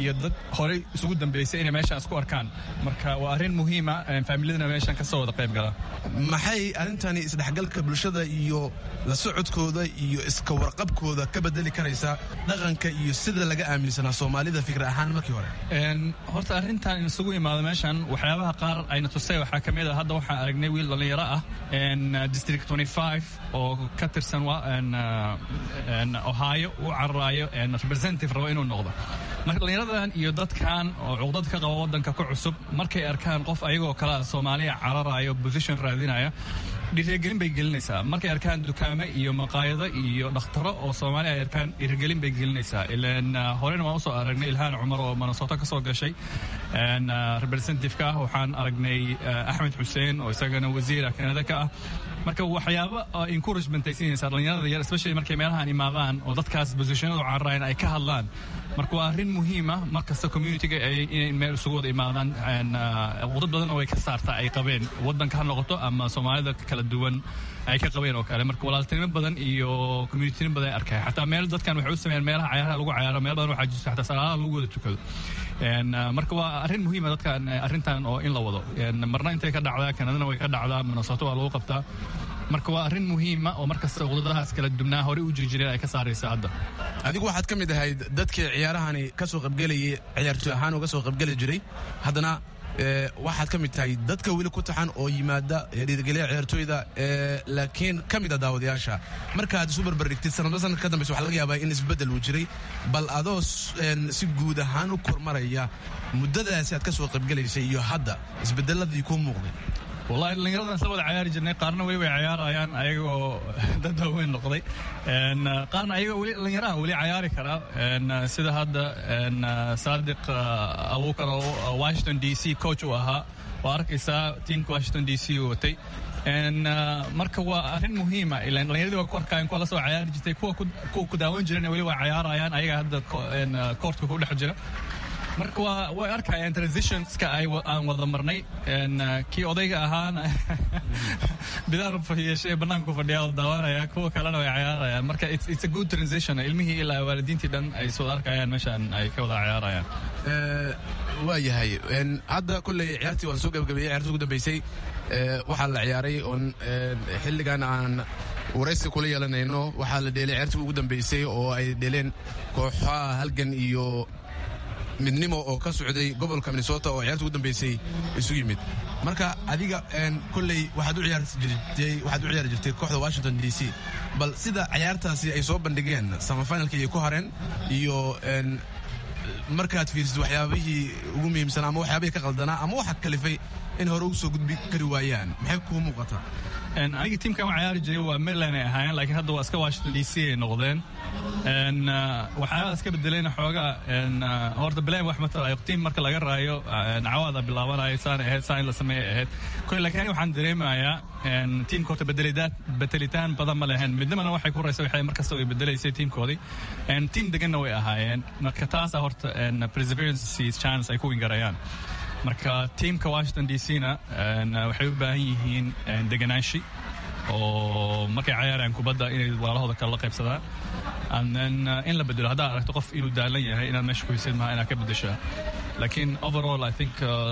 iyo dad horey isugu dambeysay inay meeshaan isku arkaan. Marka waa arrin muhiima, faamiladana meeshaan kasoo wada qayb gala. Maxay arrintani isdhexgalka bulshada iyo la socodkooda iyo iska warqabkooda ka bedeli karaysaa dhaqanka iyo sida laga aaminsanaa Soomaalida fikir ahaan markii hore? Horta arrintan in isugu imaado meeshan waxyaabaha qaar ayna tusay waxaa ka mid ah, hadda waxaan aragnay wiil dhallinyaro ah District twenty-five oo ka tirsan Ohio u cararaayo representative rabo inuu noqdo. Marka dhallinyaradan iyo dadkan oo cuqdad ka qaba waddanka ku cusub markay arkaan qof ayagoo kale ah Soomaaliya cararaayo position raadinaya, dhiirigelin bay gelinaysaa. Markay arkaan dukaamo iyo maqaayado iyo dhakhtaro oo Soomaaliya ay arkaan, dhiirigelin bay gelinaysaa. Ilaan horena waan usoo aragnay Ilhaan Cumar oo Minnesota ka soo gashay representative-ka ah, waxaan aragnay Axmed Xuseen oo isagana wasiir ah Kanada ka ah. Marka waxyaabo encouragement ay siinaysaa dhalinyarada yar, especially markay meelahan imaadaan oo dadkaas positionadu cararayan ay ka hadlaan. Marka waa arrin muhiima markasta communitiga ay inay meel isugu wada imaadaan. Dad badan oo way ka saartaa ay qabeen waddanka ha noqoto ama Soomaalida kala duwan ay ka qabeen oo kale. Marka walaaltinimo badan iyo communitinimo badan ay arkaya. Xataa meel dadkan waxay u sameeyaan meelaha cayaaraha lagu cayaaro, meel badan waxaa jirta xataa salaadaha lagu wada tukado. Marka waa arrin muhiima dadkan arrintan oo in la wado. Marna intay ka dhacdaa Kanadana way ka dhacdaa, Minnesota waa lagu qabtaa. Marka waa arrin muhiima oo markasta uqdadahaas kala dubnaa horey u jiri jireen ay ka saaraysa hadda. Adigu waxaad ka mid ahayd dadkii ciyaarahani ka soo qaybgelayay, ciyaartoy ahaan uga soo qaybgeli jiray, haddana waxaad ka mid tahay dadka weli ku taxan oo yimaada dhiirigeliya ciyaartooyda, laakiin ka mid a daawadayaasha. Markaad isu barbardhigtid sanadba sanad ka dambaysa, waxaa laga yaabaa in isbeddel uu jiray. Bal adoo si guud ahaan u kormaraya muddadaasi aad ka soo qaybgelaysay iyo hadda isbeddelladii kuu muuqday? Wallahi dhallinyaradan isla wada cayaari jirnay, qaarna weli way cayaarayaan ayagoo dad waaweyn noqday, qaarna ayagoo weli dhallinyaraha weli cayaari karaa, sida hadda Saadiq Abuukar oo Washington D C coach uu ahaa, waa arkaysaa tiimka Washington D C uu watay. Marka waa arrin muhiima, ilaan dhallinyaradii waa ku arkaayeen kuwa la soo cayaari jirtay, kuwa kuwa ku daawan jireen weli waa cayaarayaan ayaga hadda koortka ku dhex jira. Marka waa way arkayaan transitionska ay aan wada marnay. Kii odayga ahaana bidaar yeeshay bannaanku fadhiya oo daawanaya, kuwa kalena way cayaarayaan. Marka it's, it's a good transition, ilmihii ilaa waalidiintii dhan ay soo arkayaan meeshaan ay ka wada cayaarayaan. Waa yahay, hadda kolley ciyaartii waa la soo gabagabeeyey. Ciyaartii ugu dambeysay waxaa la ciyaaray oon xilligan aan waraysi kula yeelanayno, waxaa la dheelay ciyaartii ugu dambeysay oo ay dheeleen kooxaha Halgan iyo Midnimo oo ka socday gobolka Minnesota oo ciyaarta ugu dambeysay isugu yimid. Marka adiga kolley waxaad u ciyaari jirtay waxaad u ciyaari jirtay kooxda Washington D C, bal sida ciyaartaasi ay soo bandhigeen semifinalka iyo ku hareen iyo markaad fiirisid waxyaabihii ugu muhiimsanaa ama waxyaabihii ka qaldanaa ama waxa kalifay in hore ugu soo gudbi kari waayaan, maxay kuu muuqataa? Aniga tiimkan waan ciyaari jiray waa Maryland ay ahaayeen, laakiin hadda waa iska Washington D C ay noqdeen. Waxyaabaa iska bedelayna xoogaa horta bilayn wax matalayo tiim marka laga raayo cawaada bilaabanayo saan ahayd saan in la sameeyay ahayd kole. Laakiin aniga waxaan dareemayaa tiimka horta bedelidaad bedelitaan badan ma lehen. Midnimana waxay ku raysay waxay markasta way bedelaysay tiimkoodii, tiim deganna way ahaayeen. Marka taasa horta perseverance chance ay ku wingarayaan. Marka tiimka Washington D C na waxay u baahan yihiin deganaashi oo markay cayaarayaan kubadda inay walaalahooda kale la qaybsadaan, and then in la bedelo haddaa aragto qof inuu daalan yahay inaad meesha ku hisid maha inaad ka bedeshaa. Laakiin overall I think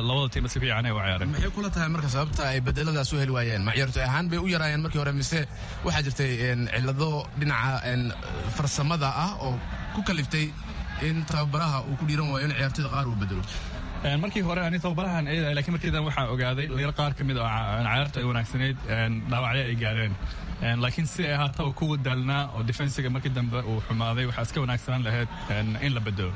labada tiim si fiican ay u ciyaareen. Maxay kula tahay marka sababta ay bedeladaas u heli waayeen? Ma ciyaartoy ahaan bay u yaraayeen markii hore mise waxaa jirtay cillado dhinaca farsamada ah oo ku kaliftay in tababaraha uu ku dhiiran waayo in ciyaartoyda qaar uu bedelo? Markii hore ani tababarahan eedahay, laakiin markii dan waxaan ogaaday dhalinyaro qaar ka mid oo cayaarta ay wanaagsanayd dhaawacyo ay gaareen. Laakiin si ay ahaataba kuwa daalnaa oo defensiga markii dambe uu xumaaday, waxaa iska wanaagsanaan lahayd in la bedelo.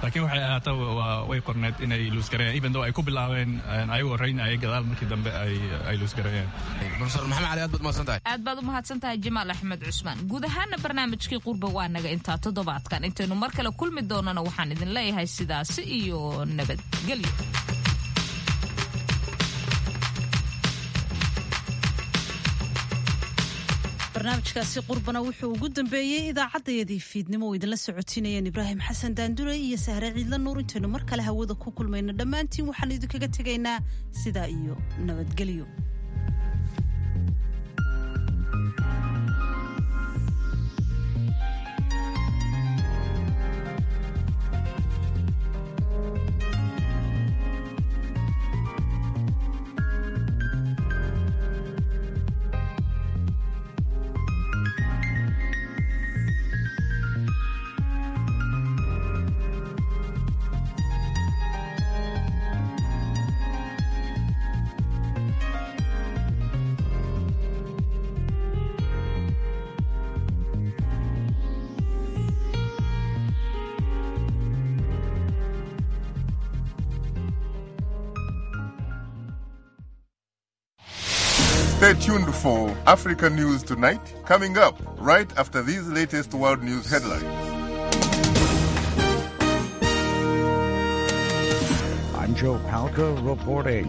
Laakiin waxay ahaataba way qorneed inay luusgareeyaan, even though ay ku bilaabeen ayagoo reynaya gadaal markii dambe ay ay luusgareeyeen. Professor Maxamed Cali, aad baad mahadsan tahay. Aad baad u mahadsan tahay Jamaal Axmed Cusmaan. Guud ahaana barnaamijkii Qurba waa naga intaa toddobaadkan. Intaynu mar kale kulmi doonana waxaan idin leeyahay sidaasi iyo nabadgelyo. Barnaamijkaasi qurbana wuxuu ugu dambeeyey idaacaddayadii fiidnimo oo idinla socotinayeen Ibraahim Xasan Daandure iyo Sahre Ciidla Nuur. Intaynu mar kale hawada ku kulmayno dhammaantiin waxaan idinkaga tegaynaa sidaa iyo nabadgelyo. Stay tuned for Africa News Tonight, coming up right after these latest world news headlines. I'm Joe Palca reporting.